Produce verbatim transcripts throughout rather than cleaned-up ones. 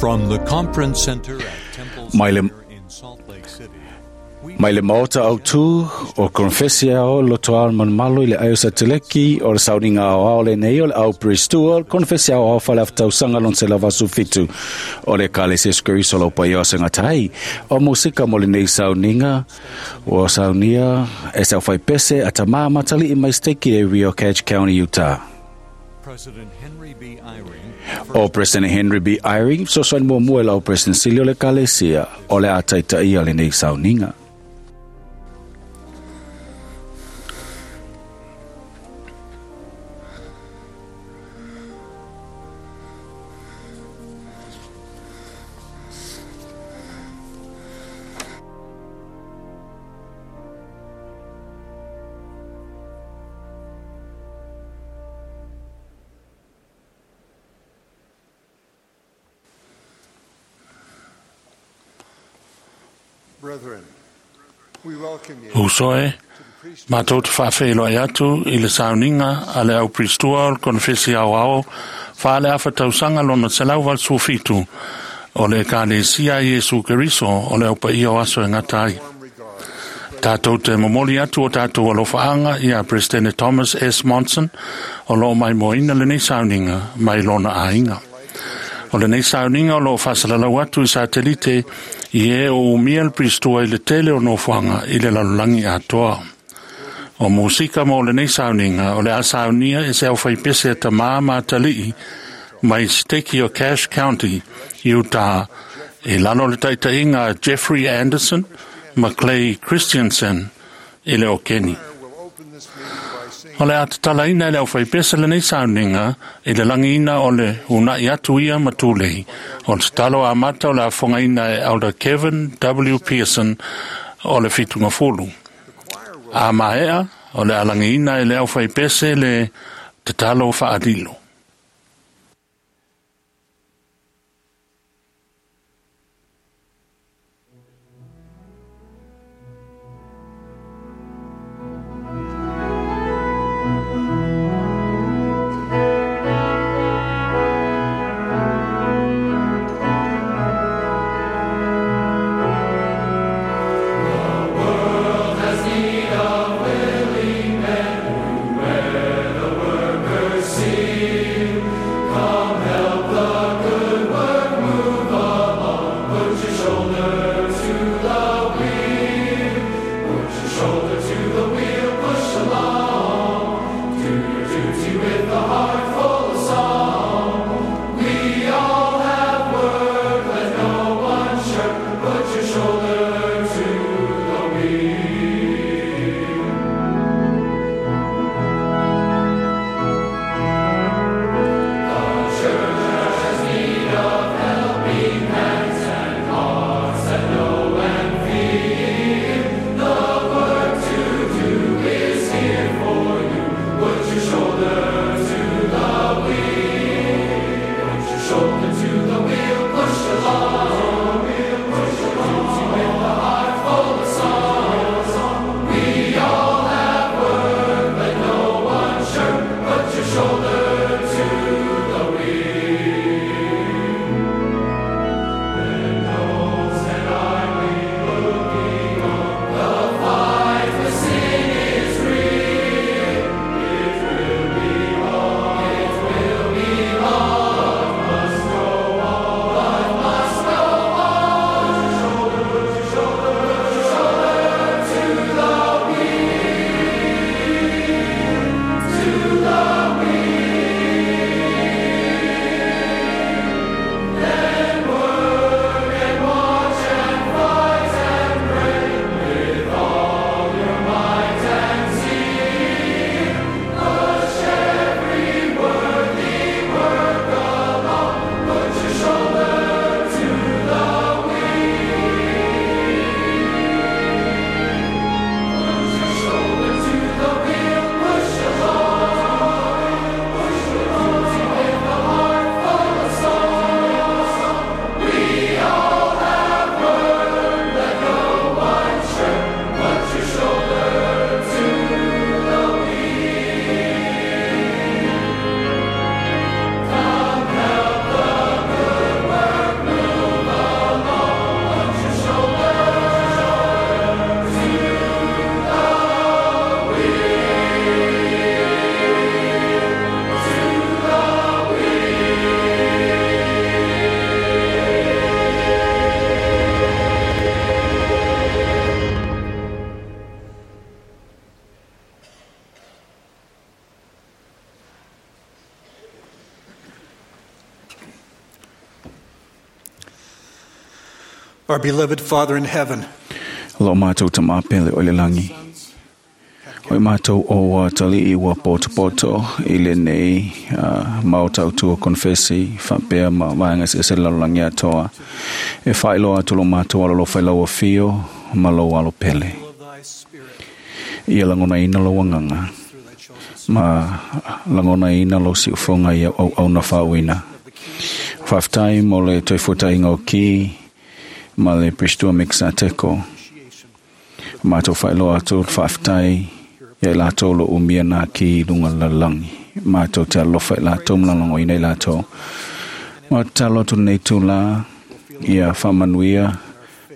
From the conference center at Temple Mai le- Square in Salt Lake City, we Mai le maota au tū o Confesia o lotoa manumalo i le aio sateleki o le sauniga ao ao le nei o le au Pristua, Confesia ao ao whale aftausaga lon se lavasu fitu o le Ekalesia Iesu lau paia o sengatai. O musika mo lenei sauniga o saunia e sau whai pese a tamā matali i mai steki e Rio Cache County, Utah. President Henry B. Eyring, O President Henry B. Eyring, sosoani muamua i lau President Sili o le Ekalesia o le a taitaia lenei sauniga. Brethren, we welcome you Usoe, to the priesthood matou te faafeiloai atu i le sauniga a le au Pristua o le Konefesi Aoao faaleafa tausaga lona selau valu suafitu o le Ekalesia a Iesu Keriso o le aupaia o aso e gata ai. warm regards to Tatou te momoli atu o tatou alofaaga ia Presidente Thomas S. Monson o loo maimoaina lenei sauniga mai lona aiga. O lenei sauniga o loo faasalalau atu i satelite i e o umia le Pristua i le tele o nofoaga i le lalolagi atoa. O musika mo lenei sauniga o le a saunia e se au faipese a tamā ma atalii mai steki o Cache County, Utah, i lalo o le taitaiga a Jeffrey Anderson ma Clay Christensen i le o Keni. will open this meeting by singing O le a tatalaina e le au faipese lenei sauniga i le lagiina o le unai atu ia ma tulei. O le tatalo amata o le afogaina e Elder Kevin W. Pearson o le Fitungafulu. the choir will A maea o le alagiina e le au faipese le tatalo faalilo. World has need of willing men who wear the workers' seal. Our beloved Father in heaven, Lo mātou ta māpele o le langi. O i mātou o ua tali i ua poto poto i le nei uh, mau tautua konfesi whapea ma vaenga se se lalolangi atoa. E whailoa atu lo mātou alo lo whailaua fio ma lo alo pele. of thy Spirit Ia langona ina lo wanganga through thy chosen ma langona ina lo si ufonga ia au au na whauina. Whaftai mo le toi futa inga o ki ma le Pristua Mixa Teko. appreciation Mātou whailoa atu whaftai ia i lātou lo umia nā ki lunga lalangi. Mātou te alofa i lātou mlalongo ina i lātou. Ma talo atu nei tū la ia whamanuia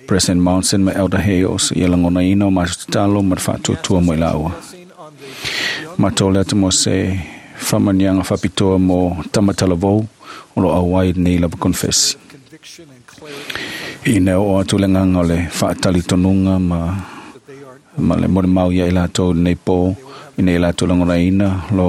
President Monson ma Elder Hales ia langona ina o mātou tatalo ma te whaatuatua mo i laua. blessing on the Mātou le atu mo se whamanianga whapitoa mo Tamatalavou o lo auai nei lava confess. conviction and clarity I neo o atu le nganga o le whaatali tonunga ma that they are ma le more mau ia i lātou nei pō i nei lātou langona ina lo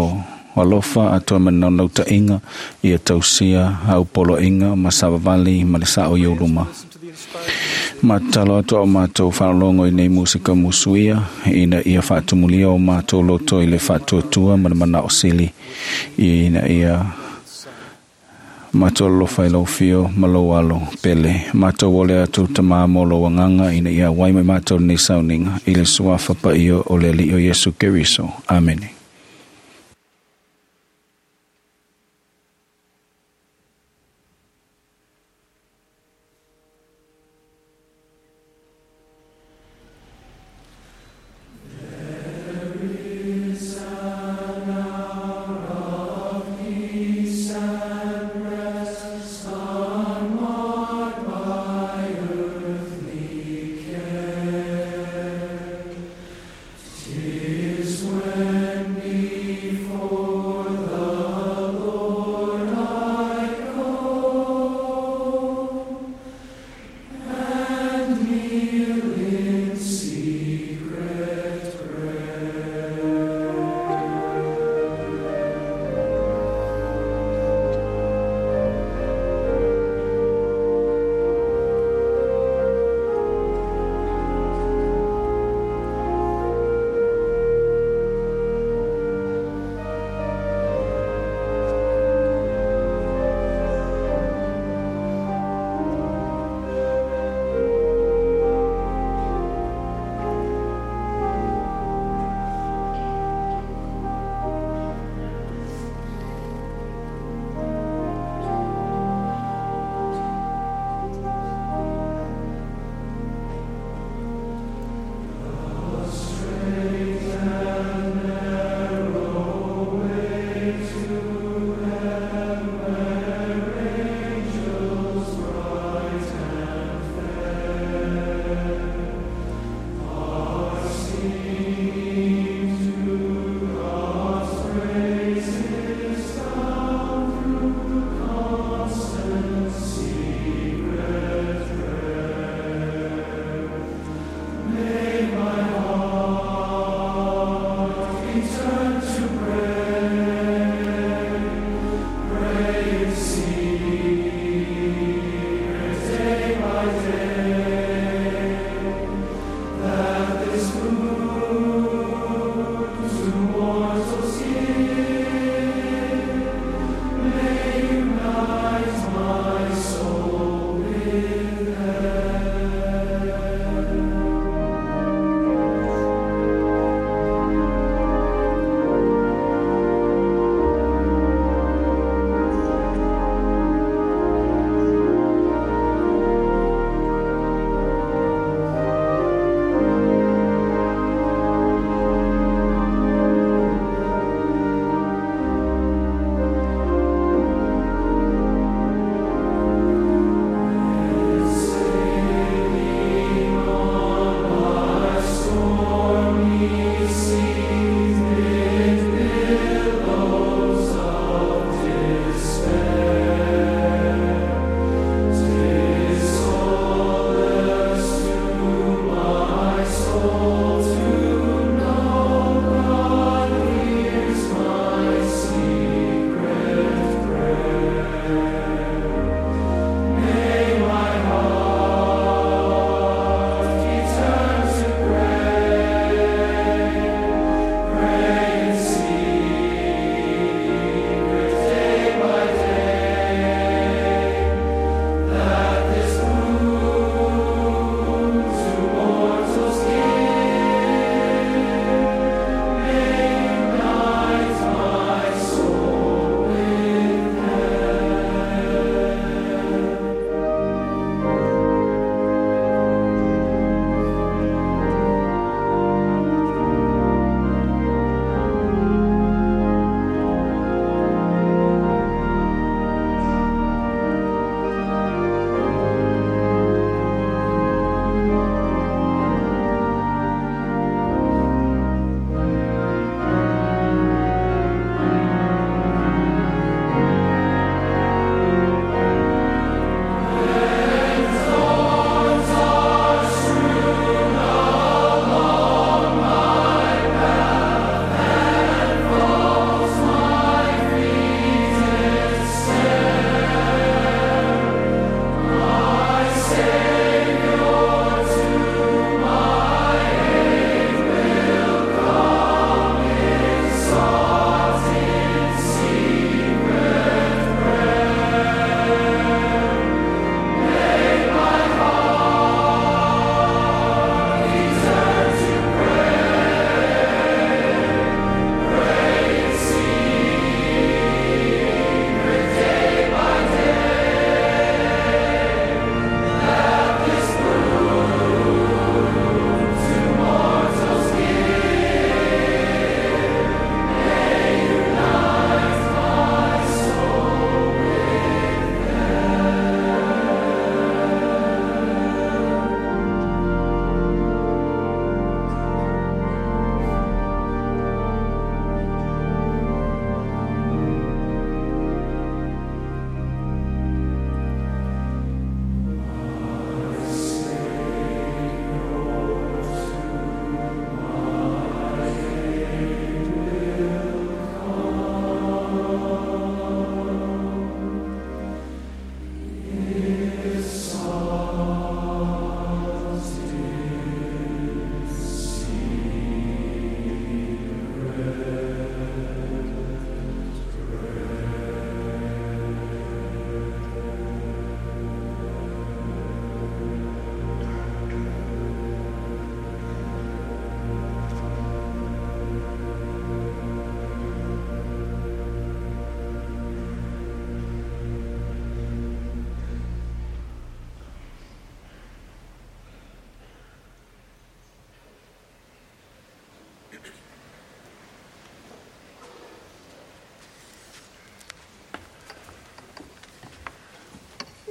alofa atoa ma naunauta inga ia tausia au polo inga ma savavali ma le sao i uluma. listen to the inspired Ma talo atu au mātou whanalongo i nei musika musuia ina ia whaatumulia o mātou loto i le whaatuatua ma le mana o sili ina ia mātou alofa i lau fio ma lou alo pele. Mātou ole atu ta mā mo lo wanganga ina ia wai mai mātou nei sauninga i le suafa pa iyo o le li o Yesu Keriso. Amene. When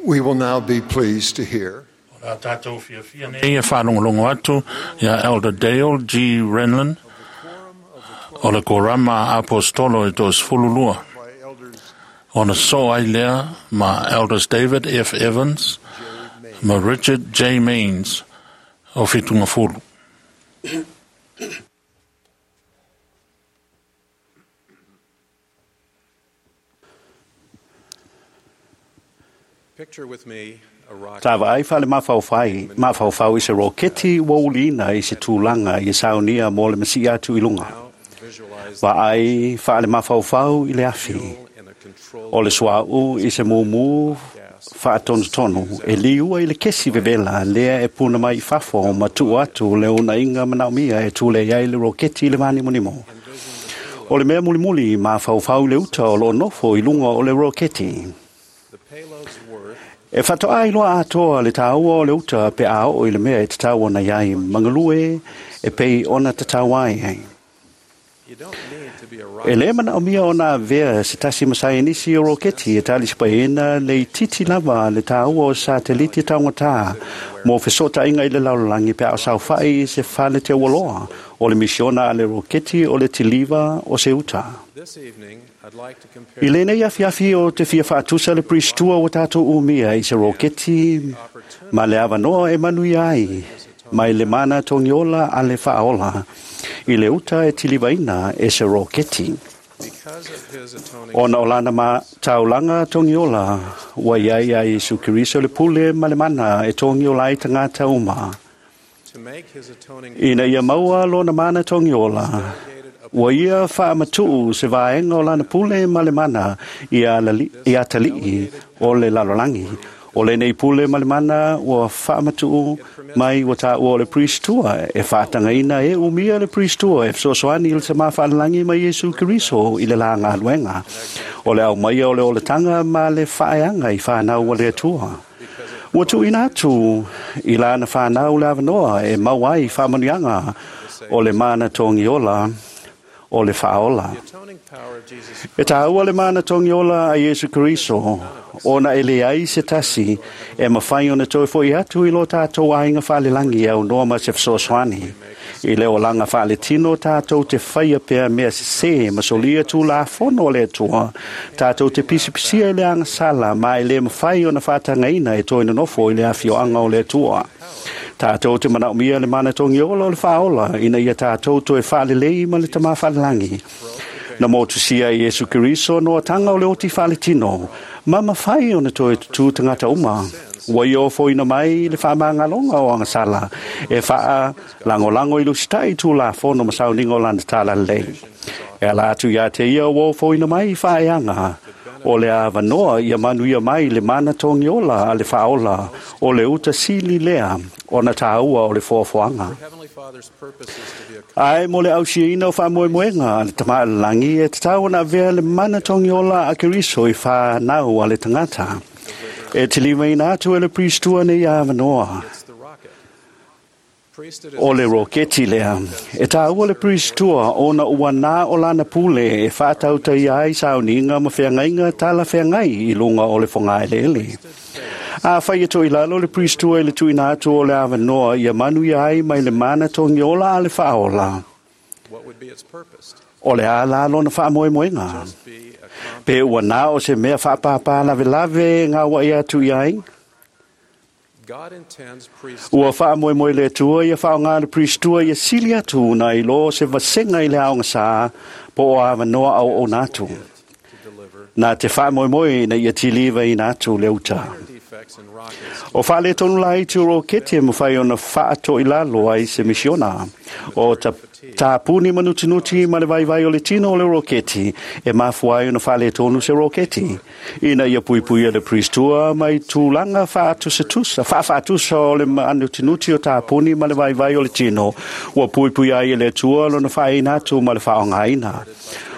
We will now be pleased to hear O la tātou fiafia nei e whaalongolongo atu ia Elder Dale G. Renlund o le Korama Apostolo e tō sefululua. by Elders Ona so ai lea ma Elders David F. Evans ma Richard J. Maines o Whitunga Fulu. Picture with me a rocket Ta vaai whale mawhauwhai, mawhauwhau i se roketi wa ulina i se tūlanga i saunia mō le masi atu i lunga. now. Visualize Vaai whale mawhauwhau i le afi. fuel in a controlled O le suau i se mumu whaatonotonu e liua i le kesi vevela lea e puna mai i fafo ma tuu atu le una inga manaomia e tule iai le roketi i le mānimonimo. O le mea mulimuli mawhauwhau le uta o lo nofo i lunga o le roketi. the payload's worth E whatoa ai loa atoa le tāua o le uta pe a o i le mea e te tāua na iai mangalue e pei ona te tāua ai ai. you don't need to be a E rocket le mana o mia ona vea se tasi masai nisi o roketi e tali sipaena le i titi lava le tāua o sateliti taungata mō fesota inga i le laulalangi pe a o saufai se whale te ualoa o le misiona a le roketi o le tiliva o se uta. This evening I'd like to compare I lenei afiafi o te fia whaatusa le pristua o tātou umia i se roketi ma le avanoa e manuia ai, mai le mana tongiola a le whaola, i le uta e tilivaina e se roketi. because of his atoning Ona o lana ma taulanga tongiola, wa iai ai Isu Keriso le pule ma le mana e tongiola ai tangata uma. to make his atoning Ina ia maua lona mana tongiola, delegated a Ua ia whaamatuu se vaenga o lana pule ma le mana i a lali- i atalii o le lalolangi. O le nei pule ma le mana ua whaamatuu mai ua tā ua o le priestua e whaatangaina e umia le priestua e fesoasoani i le sama whaalalangi mai Iesu Keriso i le la ngā O le au maia o le oletanga ma le whaeanga i whanau o le atua. Ua tuuina atu i lana whanau le avanoa e mau ai whaamanuianga o le mana tongiola o le whaola. the atoning power of Jesus E tāua le mana tongiola a Iesu Keriso, ona e le ai se tasi, e mawhai ona toi foi atu i lo tātou ainga whalelangi au noa ma se fesoasoani. I le olanga whale tino tātou te whaia pea mea se se, masolia tū la fono le atua, tātou te pisipisia i le anga sala, ma e le mawhai ona whātangaina e toi nonofo i le awhioanga o le atua. Tātou te manaomia le mana tongiola o le whaola, ina ia tātou toe whalelei ma le tama whalelangi. Na motusia i Iesu Keriso no tanga o le oti whaletino, ma mawhai ona toe tū tangata uma. Ua i o foina mai le whaamāngalonga o angasala, e whaa langolango i lusitai tū la fono masauningo lana tala lei. E ala atu ia te ia o foina mai i whaeanga, o le avanoa ia manuia mai le mana tongiola a le whaola, o le uta sili lea, o na tāua o le foafoanga. Heavenly Father's purpose is to be a Ai mo le ausiaina o whaamoemoenga a le tama langi e te tau na vea le mana tongiola a Keriso i whanau a le tangata. E te limaina atu e le priestua nei avanoa. it's the rocket. Priesthood is O le roketi lea. E tāua le priestua ona ua nā o lana pule e whātauta i ai sauninga ma wheangainga tala wheangai i lunga o le whangaelele. A whai e toi lalo le priestua i le tuina atu o le avanoa ia manu ia ai mai le mana tongiola a le whaola. what would be its purpose? O le a la lona whaamoemoenga. Just be a comp- Pe ua nā o se mea whaapāpā lave lave ngā wa ia atu i ai. God intends priesthood Ua whaamoemoe le atua ia whaonga le priestua ia sili atu na i lo se vasenga i le aonga sā po o awanoa au o nātu. to deliver Nā te whaamoemoe na ia tiliva i nātu le uta. defects in rockets O whaale tonu lai te roketi e mwhai ona whaato i lalo ai se misiona. O ta, ta puni manutinuti ma le vaivai o le tino o le roketi e mafuai ona whaale tonu se roketi. Ina ia pui pui le priestua mai tūlanga whaatusa whaatusa o le manutinuti o tā puni ma le vaivai o le tino. Ua pui pui ai e le tua lona whaeina atu ma le whaongaina.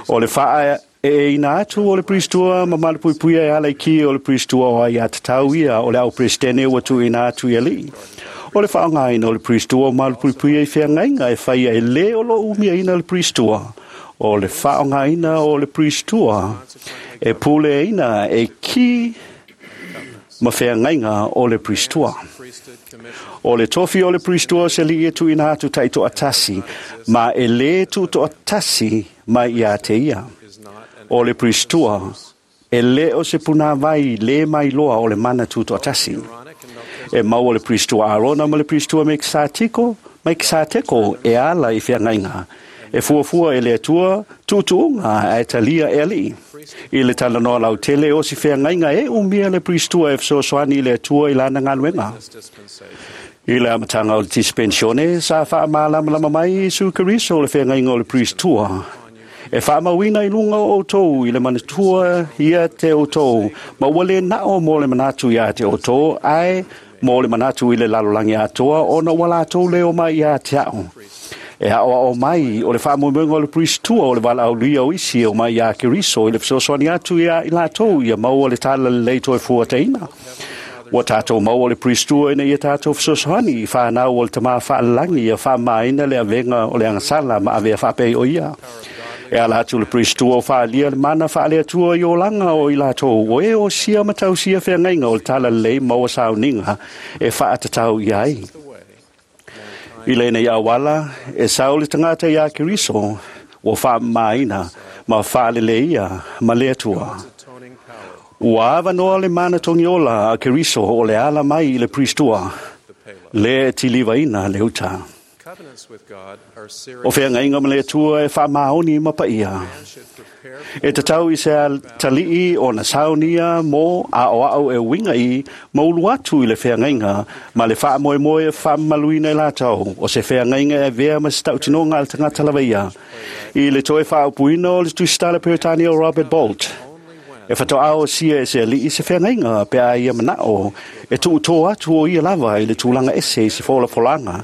O le whaa e ina atu o le priestua ma malu pui pui e ala i ki o le priestua o ai atatau ia o le au presidene ua tu ina atu i ali. O le whaongaina o le priestua o malu pui pui e whiangainga e whaia e le o lo umia ina le priestua. O le whaongaina o le priestua e pule ina e ki ma feagaiga o le Priestua. Priesthood commission O le tofi o le Priestua se lii e tuuina atu taitoatasi, ma e lē tuutoatasi mai iā te ia. is not an O le Priestua, e lē o se punāvai lē mailoa o le mana tuutoatasi. Aaronic and Melchizedek E maua le Priestua Arona ma le Priestua Mekisatiko, Mekisateko e ala i feagaiga. E fuafua e le Atua tuutuuga ae talia e alii. I le talanoa lautele o si feagaiga e umia le Priestua e fesoasoani i le Atua i lana galuega. this dispensation. I le amataga o le dispensione sa faamalamalama mai Iesu Keriso le feagaiga o le Priestua. E faamauina i luga o outou i le manatua ia te outou, ma ua lē nao mo le manatu iā te outou, ae mo le manatu i le lalolagi atoa ona ua latou leo mai iā te a'o. E a'oa'o mai o le faamoemoega o le Priestua o le valaaulia o isi e omai iā Keriso i le fesoasoani atu iā i latou ia maua le talalelei toe fuataina. Ua tātou maua le Priestua ina ia tātou fesoasoani i whānau o le tamā whaalalagi ia whaamaina le avega o le agasala ma avea whaapei o ia. E ala atu le Priestua o whaalia le mana whaaleatua i olanga o i lātou o e o sia matau sia wheangaiga o le talalelei maua sauniga e whaatatau i ai. The way I lenei auala, e sau le tagata iā Keriso, ua faamamaina ma faaleleia ma le Atua. atoning power, Ua avanoa le mana togiola a Keriso o le ala mai i le Priestua, the payload. le tilivaina le uta. Covenants with God are O serious. feagaiga ma le Atua e faamaoni ma paia. Man should prepare E tatau i se talii o na saunia mo a o au e winga i maulu atu i le feagaiga ma le faamoemoe e faamamaluina i latou o se feagaiga e avea ma se tautinoga a le tagata lava ia. I le toe faaupuina o le tusitala Peretania o Robert Bolt. only when E whatoao sia e se alii se feagaiga pe a ia manao e tuutō atu o ia lava i le tulaga ese i se folafolanga.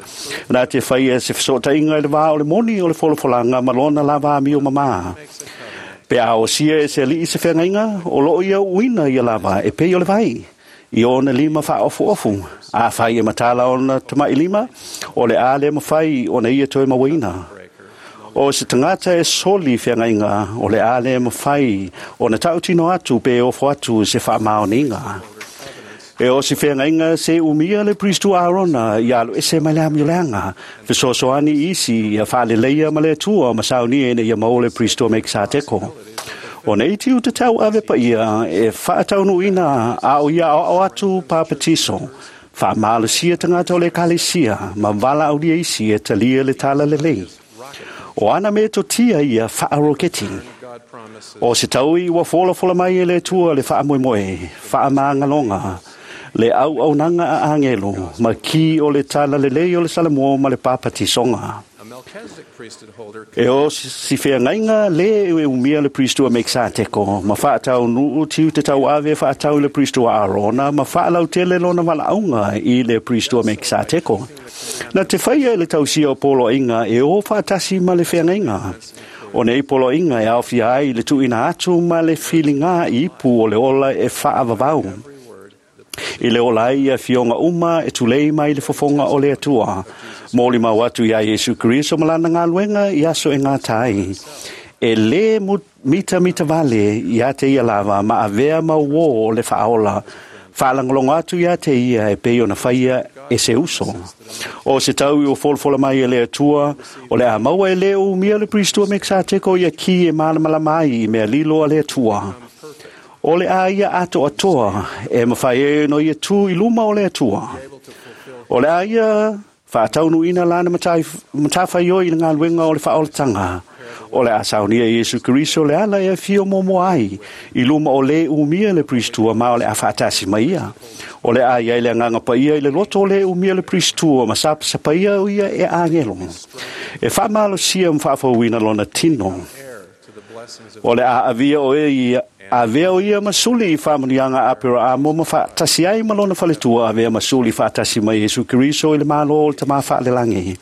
Nā te whai e se fesootaiga i le vā o le moni o le folafolanga ma lona lava amio mamā. makes a covenant Pe a o sia e se alii se feagaiga, o loo ia uina ia lava e pei o le vai. I ona lima whaofu ofu. A whai e matala ona tamai lima, o le a le mawhai ona ia toe mawina. breaker O se tagata e soli feagaiga, o le a le mawhai ona tautino atu pe ofo atu se faamaoniga. E o si feagaiga se umia le Priestua Arona i alo ese mai le amioleaga, fesoasoani isi ia faaleleia ma le Atua ma saunia ina ia maua le Priestua Mekisateko. O nei tiu te tau ave paia e faataunuuina a o ia aoao atu papatiso. Faamalosia tagata o le ekalesia ma valaaulia isi e talia le talalelei. O ana metotia ia faaroketi. God promises O se taui ua folafola mai e le Atua le faamoemoe, faamagaloga, le auaunaga a agelo, ma ki o le talalelei o le Salamoa ma le papatisoga. a Melchizedek priesthood holder E o si feagaiga lē e umia le Priestua Mekisateko, ma faataunuu tiu te tauave faatau i le Priestua Arona, ma faalautele lona valaauga i le Priestua Mekisateko. Na te whaia e le tausia o poloaiga e o faatasi ma le feagaiga. O nei poloaiga e aofia ai i le tuuina atu ma le filiga i ipu o le ola e faavavau. every word the I le ola ai ia fioga uma e tulei mai le fofoga o le Atua. Moli mau atu iā Iesu Keriso ma lana galuega i aso e gata ai. E lē mu- mitamita vale iā te ia lava ma avea mauō o le faaola. Faalagologo atu iā te ia e pei ona faia e se uso. O se tau i o folafola mai e le Atua, o le a maua e lē umia le Priestua Mekisateko ia ki e malamalama ai i mea lilo a le Atua. O le a ia ato atoa e mawhai e no ia tū i luma o le Atua. able to fulfill O le a ia whaataunuina lana matai- matawhaioi i le ngaluega o le whaolatanga. O le a saunia Iesu Keriso le ala e fio momo ai i luma o le umia le Priestua ma o le a whaatasi mai ia. O le a ia i le anganga paia i le loto o le umia le Priestua ma sapasapa o ia e angelo. E whaamalosia mwhaafauina lona tino. heir to the blessings of O le a avia o e ia avea o ia masuli i whamunianga apera a mo ma whaatasi ai ma lona faletua avea masuli whaatasi mai Iesu Keriso i le malo o le tama whaalelangi.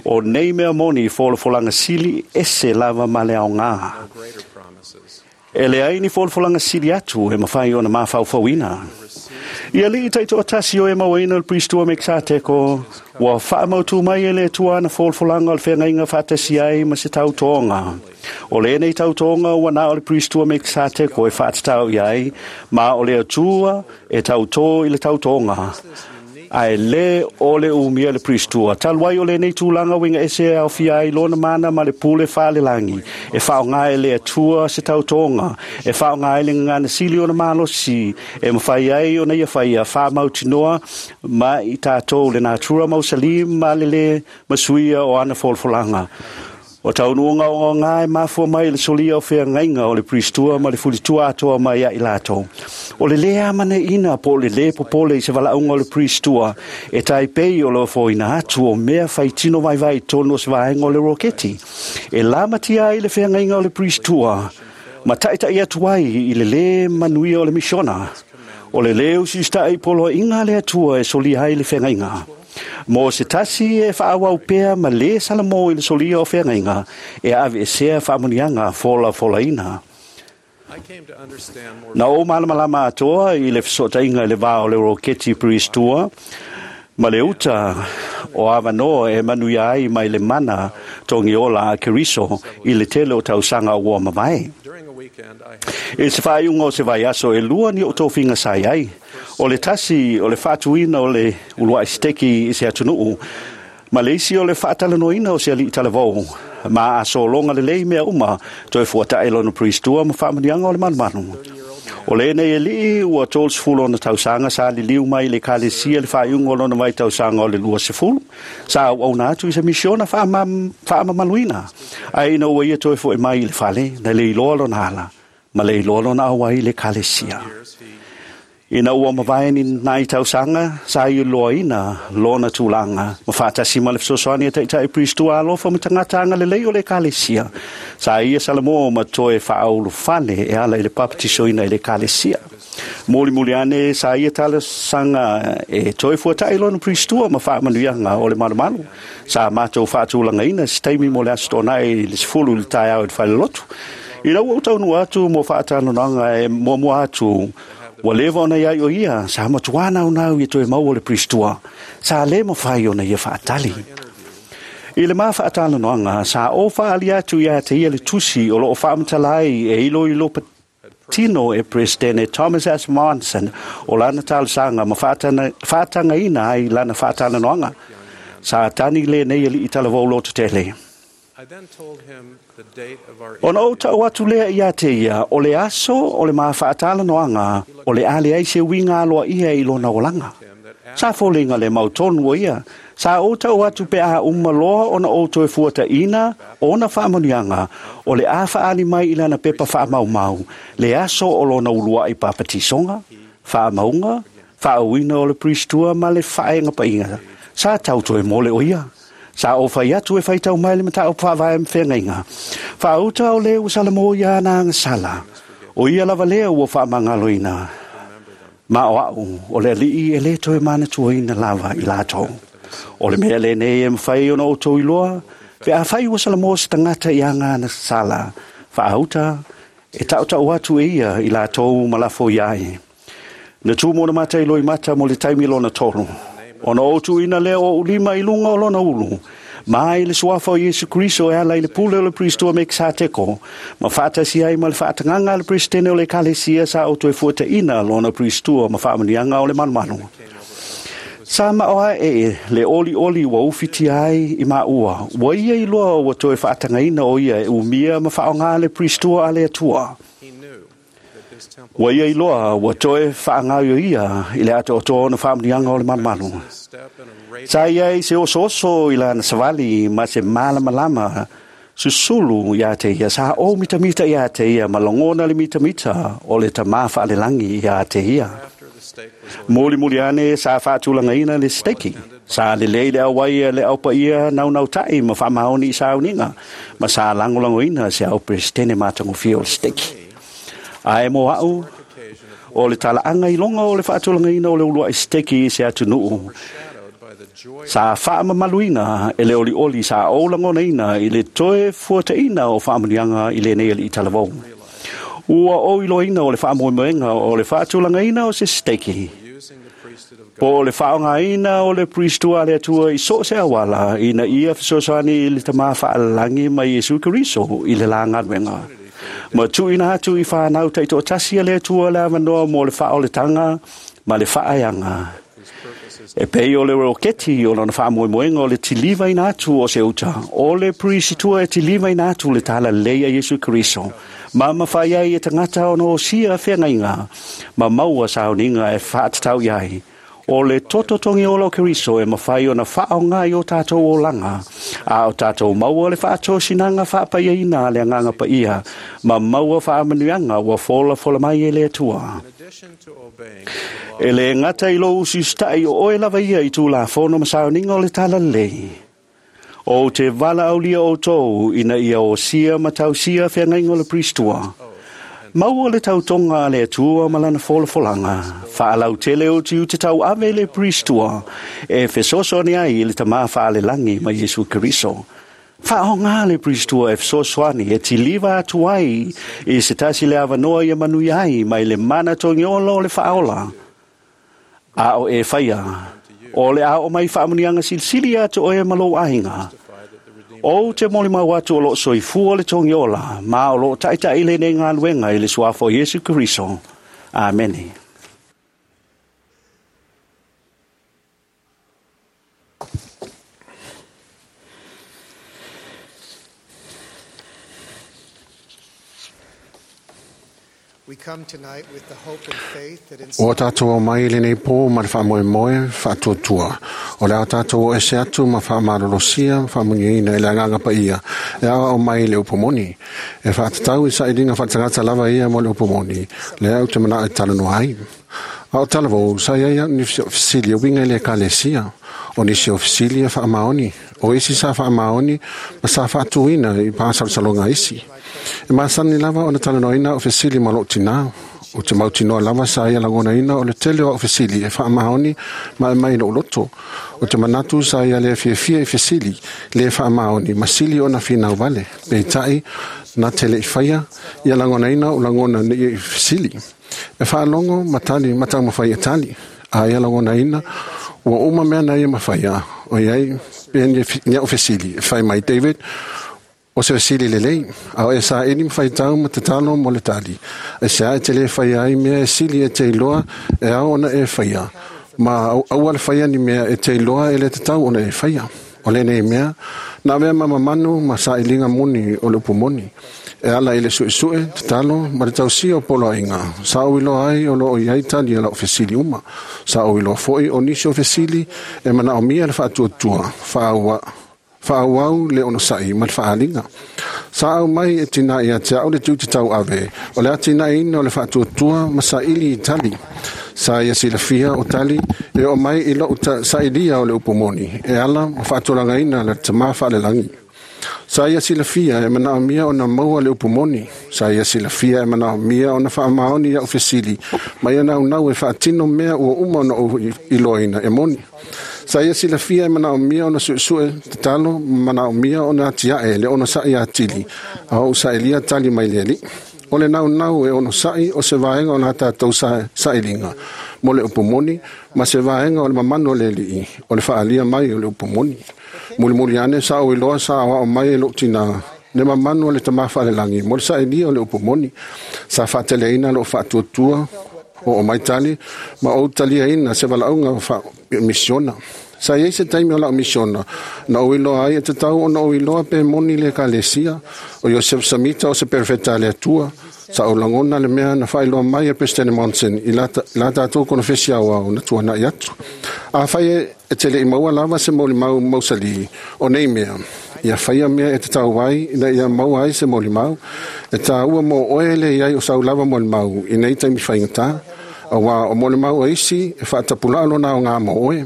O nei mea moni i folafolanga sili ese lava ma le aongā. no greater promises E leai ni folafolaga sili atu e mafai ona mafaufauina. I alii taitoatasi o e mauaina o le Priestua Mekisateko, ua faamautu mai e le Atua ana folafolaga o le feagaiga faatasi ai ma se tautoga. O lenei tautoga ua na o le Priestua Mekisateko e faatatau i ai, ma o le Atua e tautō i le tautoga. Ae lē o le umia le Priestua. Talu ai o lenei tulaga uiga ese e aofia ai lona mana ma le pule faalelagi. E faaaoga e le Atua se tautoga. E faaaoga ai le gagana sili ona malosi. E mafai ai ona ia faia faamautinoa ma i tatou le natura mausali ma le lē masuia o ana folafolaga. O taunuuga ogaoga e mafua mai i le solia o feagaiga o le Priestua ma le fulitua atoa mai ia i latou. O le lē amanaina po o le lē popole i se valaauga o le Priestua e taipei o le ofoina atu o mea faitino vaivai i totonu o se vaega o le roketi. E lamatia ai le feagaiga o le Priestua ma taʻitaʻi atu ai i le lē manuia o le misiona. O le lē usiusitaʻi i poloaiga a le Atua e solia ai le feagaiga. Mo se tasi e faaauau pea ma lē salamo i le solia o feagaiga, e aveesea faamanuiaga folafolaina. I came to understand more Na ou malamalama atoa i le fesootaiga i le va o le roketi Priestua ma le uta o avanoa e manuia ai mai le mana togiola a Keriso i le tele o tausaga ua mavae. During a weekend, I had I se faaiuga o se vaiaso e lua ni o tofiga sa i ai. O le tasi o le faatuina o le uluai seteki i se atunuu, ma le isi o le faatalanoaina o se alii talavou, ma a sologa lelei mea uma, toe fuataʻi lona Priestua ma faamanuiaga o le malumalu. O lenei alii ua tolu ona tausaga sa liliu mai i le ekalesia le faaiuga o lona vaitausaga o le luasefulu. Sa auauna atu i se misiona faamamaluina. Ae ina ua ia toe foʻi mai i le fale, na le iloa lona ala, ma le iloa lona auai i le ekalesia. years, he Ina ua mavae ni nai tausaga, sa iloaina lona tulaga, ma faatasi ma le fesoasoani a taʻitaʻi Priestua alofa ma tagata agalelei o le ekalesia. Sa ia salamo ma toe faaulufale e ala i le papatisoina i le ekalesia. Mulimuli ane sa ia talosaga e toe fuataʻi lona Priestua ma faamanuiaga o le malumalu. Sa matou faatulagaina se taimi mo le Aso Toonai i le sefulu i le taeao i le falelotu. Ina ua ou taunuu atu mo faatalanoaga e muamua atu, ua leva ona iai o ia, sa matuā naunau ia toe maua le Priestua. Sa lē mafai ona ia faatali. I le ma faatalanoaga, sa ou faaali atu ia te ia le tusi o loo faamatala ai e iloilo patino e Peresetene Thomas S. Monson o lana talosaga ma faatana- faatagaina ai lana faatalanoaga. Sa tani lenei alii talavou lototele. I then told him the date of our Ona ou interview. tau atu lea ia te ia, o le aso o le ma faatalanoaga, o le a leai se uiga aloaia i lona olaga. Him that Sa foliga le mautonu o ia. Sa ou tau atu pe a uma loa ona ou toe fuataʻina ona faamanuiaga, o le a faaali mai i lana pepa faamaumau, le aso o lona uluai papatisoga, faamauga, faauina o le Priestua ma le faaegapaiga. Sa tau toe mole o ia. Sa ou fai atu e faitau mai le mataupu faavae ma feagaiga. Faauta o le ua salamo ia ana agasala. O ia lava lea ua faamagaloina. Ma o au, o le alii e lē toe manatuaina lava i latou. O le mea lenei e mafai ona outou iloa, pe afai ua salamo se tagata i aga ana sala, faauta, e taʻutaʻu atu e ia i latou ma lafo iai. Na tu mo na mata i loimata mo le taimi lona tolu. Ona ou tuuina lea o ou lima i luga o lona ulu. Ma i le suafa o Iesu Keriso e ala i le pule o le Priestua Mekisateko, ma faatasi ai ma le faatagaga a le Peresetene o le Ekalesia sa ou toe fuataʻina lona Priestua ma faamanuiaga o le malumalu. Sa mao ae le olioli ua ufitia ai i maua, ua ia iloa ua toe faatagaina o ia e umia ma faaaoga le Priestua a le Atua. He knew that this temple Ua ia iloa ua toe faagaoioia i le atoatoa ona faamanuiaga o le malumalu. step in a radiant Sa ia i se osooso i lana savali ma se malamalama susulu ia te ia. Sa ou mitamita ia te ia ma lagona le mitamita o le tamā faalelagi ia te ia. after the stake was Mulimuli ane sa faatulagaina le seteki. Sa lelei le auai a le aupaia naunautai ma faamaoni i sauniga ma sa lagolagoina se au Peresetene matagofie o le seteki. Ae mo au, occasion of o le talaaga i loga o le faatulagaina o le uluai seteki i se atunuu overshadowed by the joy sa faamamaluina e le olioli sa ou lagonaina i le toe fuataʻina o faamanuiaga i lenei alii talavou. Ua o iloina o le faamoemoega o le faatulagaina o se siteiki. Po o le faaaogaina o le Priestua a le Atua i so o se auala ina ia fesoasoani i le Tama faalelagi ma Iesu Keriso i le la galuega. Ma tuuina atu i fanau taitoatasi a le Atua le avanoa mo le faaoletaga ma le faaeaga. E pei o le roketi o lona faamoemoega o le tilivaina atu o se uta, o le Prisitua e tilivaina atu le talalelei a Iesu Keriso, ma mafai ai e tagata ona osia feagaiga, ma maua sauniga e faatatau i ai. O le toto togiola o Keriso e mafai ona faaaoga i o tatou olaga, a o tatou maua le faatosinaga faapaiaina a le Agaga Paia, ma maua faamanuiaga ua folafola mai e le Atua. E le gata i lou usiusitai o oe lava ia i Tulafono ma sauniga o le talalelei. O te valaaulia outou ina ia osia ma tausia feagaiga o le Priestua. Maua le tautoga a le Atua ma lana folafolaga, faalautele o tiute tauave le Priestua, e fesoasoani ai i le Tama faalelagi ma Iesu Keriso. Faaaoga le Priestua e fesoasoani e tiliva atu ai i se tasi le avanoa ia manuia ai mai le mana togiola o le faaola. A o e faia, o le ao mai faamuniaga silisili atu oe ma lou aiga. O te molimau atu o loo soifua le togiola, ma o loo taitai lenei galuega i le suafa o Iesu Keriso. Amene. We come tonight with the hope and faith that in O tātou o mai lenei pō ma le faamoemoe faatuatua. O le a tātou o ese atu ma faamalolosia ma faamuniaina i le Agaga Paia e aoao mai le upu moni. E faatatau i sailiga faatagata lava ia mo le upu moni, lea ou te manao e talanoa ai. A o talavou, sa iai au ni fesili e uiga i le ekalesia. O nisi o fesili e faamaoni, o isi sa faamaoni ma sa faatuina i pasalosaloga isi. E masani lava ona talanoaina o fesili ma lou tinā. O te mautinoa lava sa ia lagonaina o le tele o au fesili e faamaoni ma e mai lou loto. O te manatu sa ia le fiafia i fesili, le faamaoni, ma sili ona finau vale. Peitai, na te le i faia, ia lagonaina o lagona nei i fesili. E faalogo ma tali ma taumafai e tali. A ia lagonaina, ua uma mea na ia mafaia. O iai, pe ni au fesili. E fai mai David, o se fesili lelei, a o e saili ma faitau ma tatalo mo le tali. E se a e te le faia ai mea e sili e te iloa e ao ona e faia. Ma aua le faia ni mea e te iloa e le tatau ona e faia. O lenei mea, na avea ma mamanu ma sailiga moni o le upu moni. E ala i le suesue, tatalo, ma le tausia o poloaiga. Sa ou iloa ai o loo iai tali a lau fesili uma. Sa ou iloa foi o nisi o fesili e manaomia le faatuatua, faaua faaauau le onosai ma le faaaliga. Sa au mai e tinā ia te au le tiute tauave, o le atinaeina o le faatuatua ma saili i tali. Sa ia silafia o tali e oo mai i lou sailia o le upu moni, e ala ma faatulagaina le Tamā faalelagi. Sa ia silafia e manaomia ona maua le upu moni. Sa ia silafia e manaomia ona faamaoni ia'u fesili, ma ia naunau e faatino mea ua uma ona ou iloaina e moni. Sa ia silafia e manaomia ona suesue tatalo, ma manaomia ona atiae le onosai atili, a ou sailia tali mai le Alii. O le naunau e onosai o se vaega o la tatou sailiga mo le upu moni, ma se vaega o le mamanu o le Alii, o le faalia mai o le upu moni. Mulimuli ane sa ou iloa sa aoao mai e lou tinā, le mamanu o le Tamā faalelagi mo le sailia o le upu moni. Sa faateleina lou faatuatua o o mai tali, ma ou taliaina se valaauga o misiona. Sa iai se taimi o lau misiona, na ou iloa ai e tatau ona ou iloa pe moni le ekalesia, o Iosef Samita o se perfeta a le Atua. Sa ou lagona le mea na faailoa mai e Presidente Monson i la tatou konofesi aoao na tuanai atu. Afai e te le i maua lava se molimau mausali o nei mea, ia faia mea e tatau ai ina ia maua ai se molimau, e tāua mo oe le iai o sau lava molimau i nei taimi faigata, auā o molimau a isi e faatapulaa lona aoga mo oe.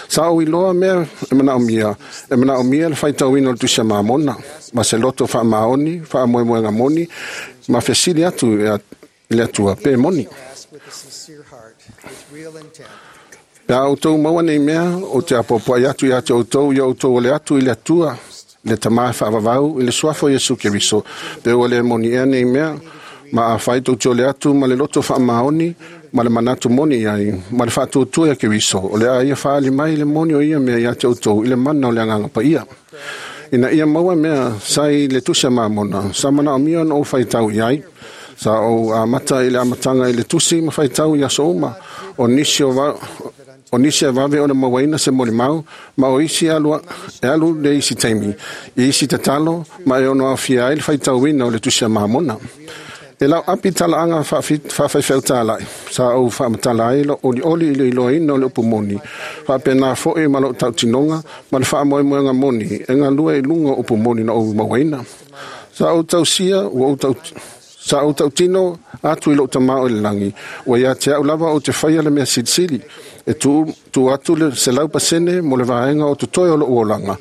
Sa ou iloa mea e manaomia, e manaomia le faitauina o le Tusi a Mamona, ma se loto faamaoni, faamoemoega moni, ma fesili atu i le Atua pe moni. With a sincere heart, with real intent. Pe a outou maua nei mea, o te apoapoai atu ia te outou ia outou o le atu i le Atua, le Tamā e faavavau i le suafa o Iesu Keriso, pe ua le moni ea nei mea, Ma a fai tou te ole atu ma le loto faamaoni ma le manatu moni i ai ma le faatuatua ia Keriso, o le a ia faali mai le moni o ia mea ia te outou i le mana o le agaga paia. Ina ia maua mea sai le tusi a Mamona, sa manaomia ona ou faitau i ai. Sa ou amata i le amataga i le tusi ma faitau i aso uma, o nisi o va, o nisi e vave ona mauaina se molimau, ma o isi e alu, e alu le isi taimi, i isi tatalo, ma e ono aofia ai le faitauina o le tusi a Mamona. E lau api talaaga faafaifeau-talai, sa ou faamatala ai lou olioli i le iloaina o le upu moni, faapena foi ma lou tautinoga ma le faamoemoega moni e galue i luga o upu moni na ou mauaina. Sa ou tausia, ua ou tau, sa ou tautino atu i lou tamā o i le lagi, ua ia te au lava ou te faia le mea silisili, e tuu, tuu atu le selau pasene mo le vaega o totoe o lou olaga,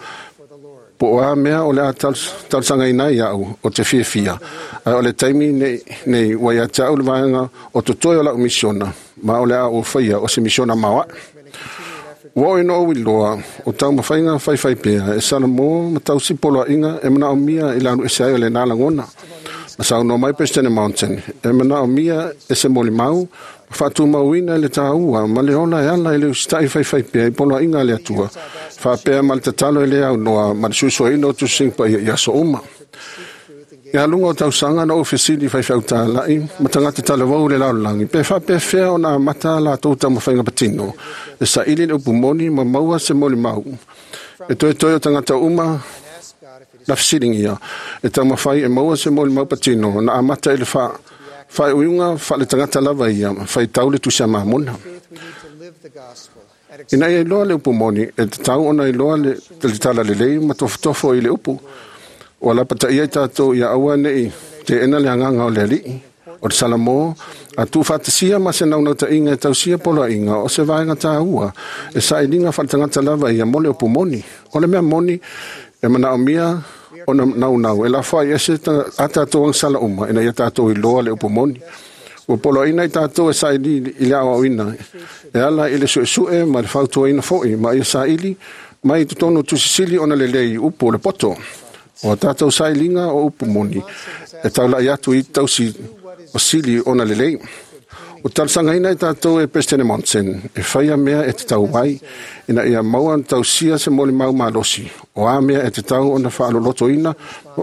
po o a mea o le a talosagaina ai au o te fiafia, ae o le taimi nei, nei ua ia te au le vaega o totoe o lau misiona, ma o le a ou faia o se misiona maoae. Ua oo ina ou iloa o taumafaiga faifai pea e salamo ma tausi poloaiga e manaomia i le alu ese ai o lena lagona. Ma saunoa mai President Mountain, e manaomia e se molimau ma faatumauina i le taua ma le ola e ala i le usitai faifai pea i poloaiga a le Atua, faapea ma le tatalo e le aunoa ma le suesueina o tusiga paia i aso uma. Ia luga o tausaga na ou fesili faifeau-talai ma tagata talavou i le lalolagi, pe faapefea ona amata latou taumafaiga patino, e saili le upu moni ma maua se molimau. E toetoe o tagata uma na fesiligia, e taumafai e maua se molimau patino na amata i le fa, faaiuiuga faale-tagata lava ia, faitau le tusi a Mamona. Ina ia iloa le upu moni, e tatau ona iloa le, le talalelei ma tofotofo i le upu. Ua lapataia i tatou ia aua nei teena le agaga o le alii, o le Salamo, a tuufaatasia ma se naunautaiga e tausia poloaiga o se vaega taua e sailiga faaletagata lava ia mo le upu moni. O le mea moni e manaomia ona naunau e lafoai ese a tatou agasala uma ina ia tatou iloa le upu moni. Ua poloaiina i tatou e saili i le aoaoina e ala i le suesue ma le fautuaina foi ma ia saili mai i totonu o tusisili ona lelei upu o le poto. O a tatou sailiga o upu moni e taulai atu i tausi o sili ona lelei. O talosagaina i tatou e President Monson e faia mea e tatau ai ina ia maua ona tausia se molimau malosi, o a mea e tatau ona faalolotoina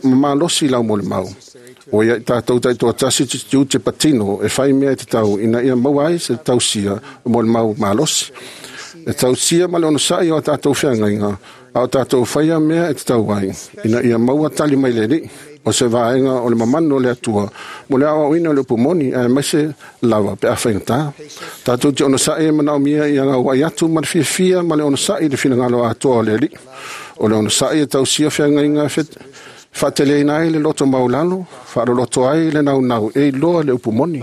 ma malosi lau molimau. O ia i tatou taitoatasi te tiute patino e fai mea e tatau ina ia maua ai se tausia o molimau malosi. E tausia ma le onosai o a tatou feagaiga, a o tatou faia mea e tatau ai, ina ia maua tali mai le alii, o se vaega o le mamanu o le Atua, mo le aoaoina o le upu moni, aemaise lava pe a faigata. Tatou te onosai e manaomia ia gauai atu ma le fiafia ma le onosai i le finagalo atoa o le alii. O le onosai e tausia feagaiga e faateleina ai le loto maulalo, faaloloto ai le naunau e iloa le upu moni.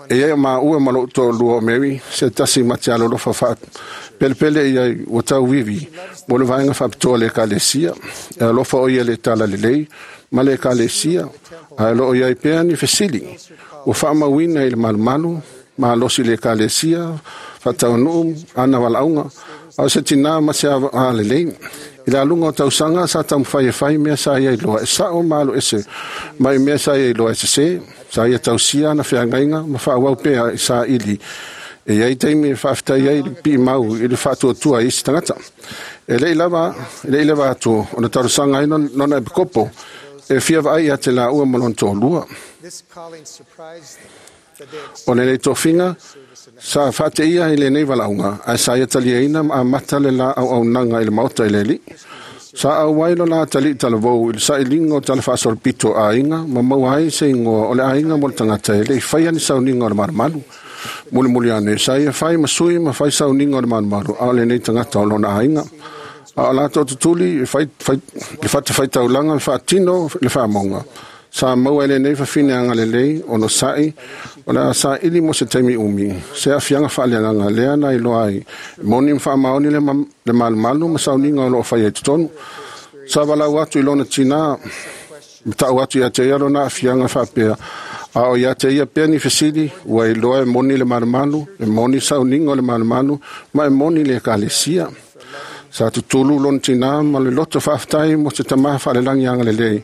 E ia maua ma lou toalua o Mary, se tasi ma te alolofa faapelepele i ai ua tauivi mo le vaega faapitoa le ekalesia. E alofa o ia le talalelei ma le ekalesia, ae o loo i ai pea ni fesili. Ua faamauina i le malumalu, malosi le ekalesia, faataunuu ana valaauga, a o se tinā ma se alelei. I le aluga o tausaga sa taumafai e fai mea sa ia iloa e sao ma alu ese mai mea sa ia iloa e sesē, sa ia tausia ana feagaiga ma faaauau pea i saili. E iai taimi e faafetai ai le piimau i le faatuatua i isi tagata. E le'i lava, e le'i leva atu ona talosaga ai lona epikopo e fia vaai ia te laua ma lona toalua. O lenei tofiga sa faateia i lenei valaauga, ae sa ia taliaina ma amata le la auaunaga i le maota i le alii. Sa auai lo la tali'i talavou i le sailiga o tala faasolopito a aiga ma maua ai se igoa o le aiga mo le tagata e le'i faia ni sauniga o le malumalu. Mulimuli ane, sa ia fai ma sui ma fai sauniga o le malumalu, a o lenei tagata o lona aiga. A o latou tutuli fai, fai, le fatafaitaulaga faatino le faamauga. Sa maua e lenei fafine agalelei ono sa'i o le a saili mo se taimi umi, se aafiaga faaleagaga lea na iloa ai, moni ma faamaoni le, ma, le malumalu ma sauniga o loo faia i totonu. Sa valau atu i lona tinā, ma ta'u atu ia te ia lona aafiaga faapea, a o ia te ia pea ni fesili, ua iloa e moni le malumalu, e moni sauniga o le malumalu, ma e moni le ekalesia. Sa tutulu lona tinā ma le loto faafetai mo se tamā faalelagi agalelei,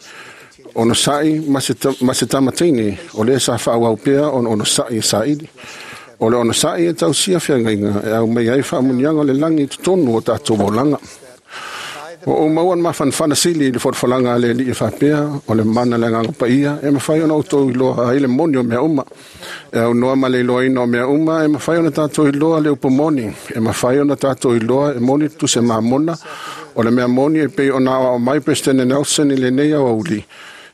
Ono sa'i ma se, ma se tamatini o le sa whaawau pea ona ono sa'i e sa'ili. O le ono sa'i e tausia whiangaiga e au mai ai whaamunianga le langi i totonu o tātou olaga. O o mauan mafanafana sili i le folafolaga a le Alii e faapea o le mana le Agaga Paia e mafai ona outou iloa ai le moni o mea uma. E aunoa ma le iloaina o mea uma e mafai ona tatou iloa le upu moni, e mafai ona tatou iloa e moni tuse mamona o le mea moni e pei ona aoao mai Peresetene Nelson i lenei aoauli.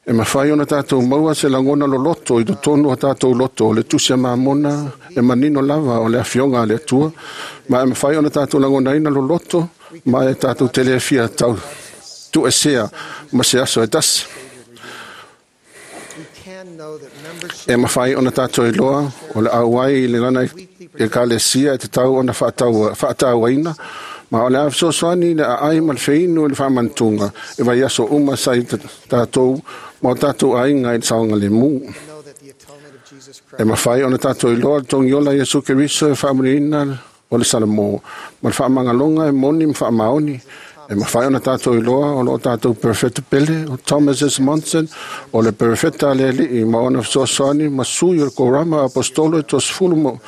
E mafai ona tatou maua se lagona loloto i totonu o tatou loto o le tusi a mamona e manino lava o le afioga a le Atua, ma e mafai ona tatou lagonaina loloto ma e tatou te le fia tau tuesea ma se aso e tasi. We can know that membership E mafai ona tatou iloa o le auai i le lana ekalesia e te tau ona whaataua, whaatauaina, ma o le a fesoasoani le aai ma le feinu i le whaamantunga e vai aso uma sa i tātou ma o tātou aiga i le saoga le mu. know that the atonement of Jesus E Christ mafai ona tātou iloa le togiola Iesu Keriso e whaamuniina o le Salamo, ma le whaamangalonga e moni ma whaamaoni. E mafai ona tātou iloa o loo tātou perfecto pele o Thomas S. Monson o le perfecta le Alii ma ona fesoasoani ma sui o le korama apostolo e tosefulu mo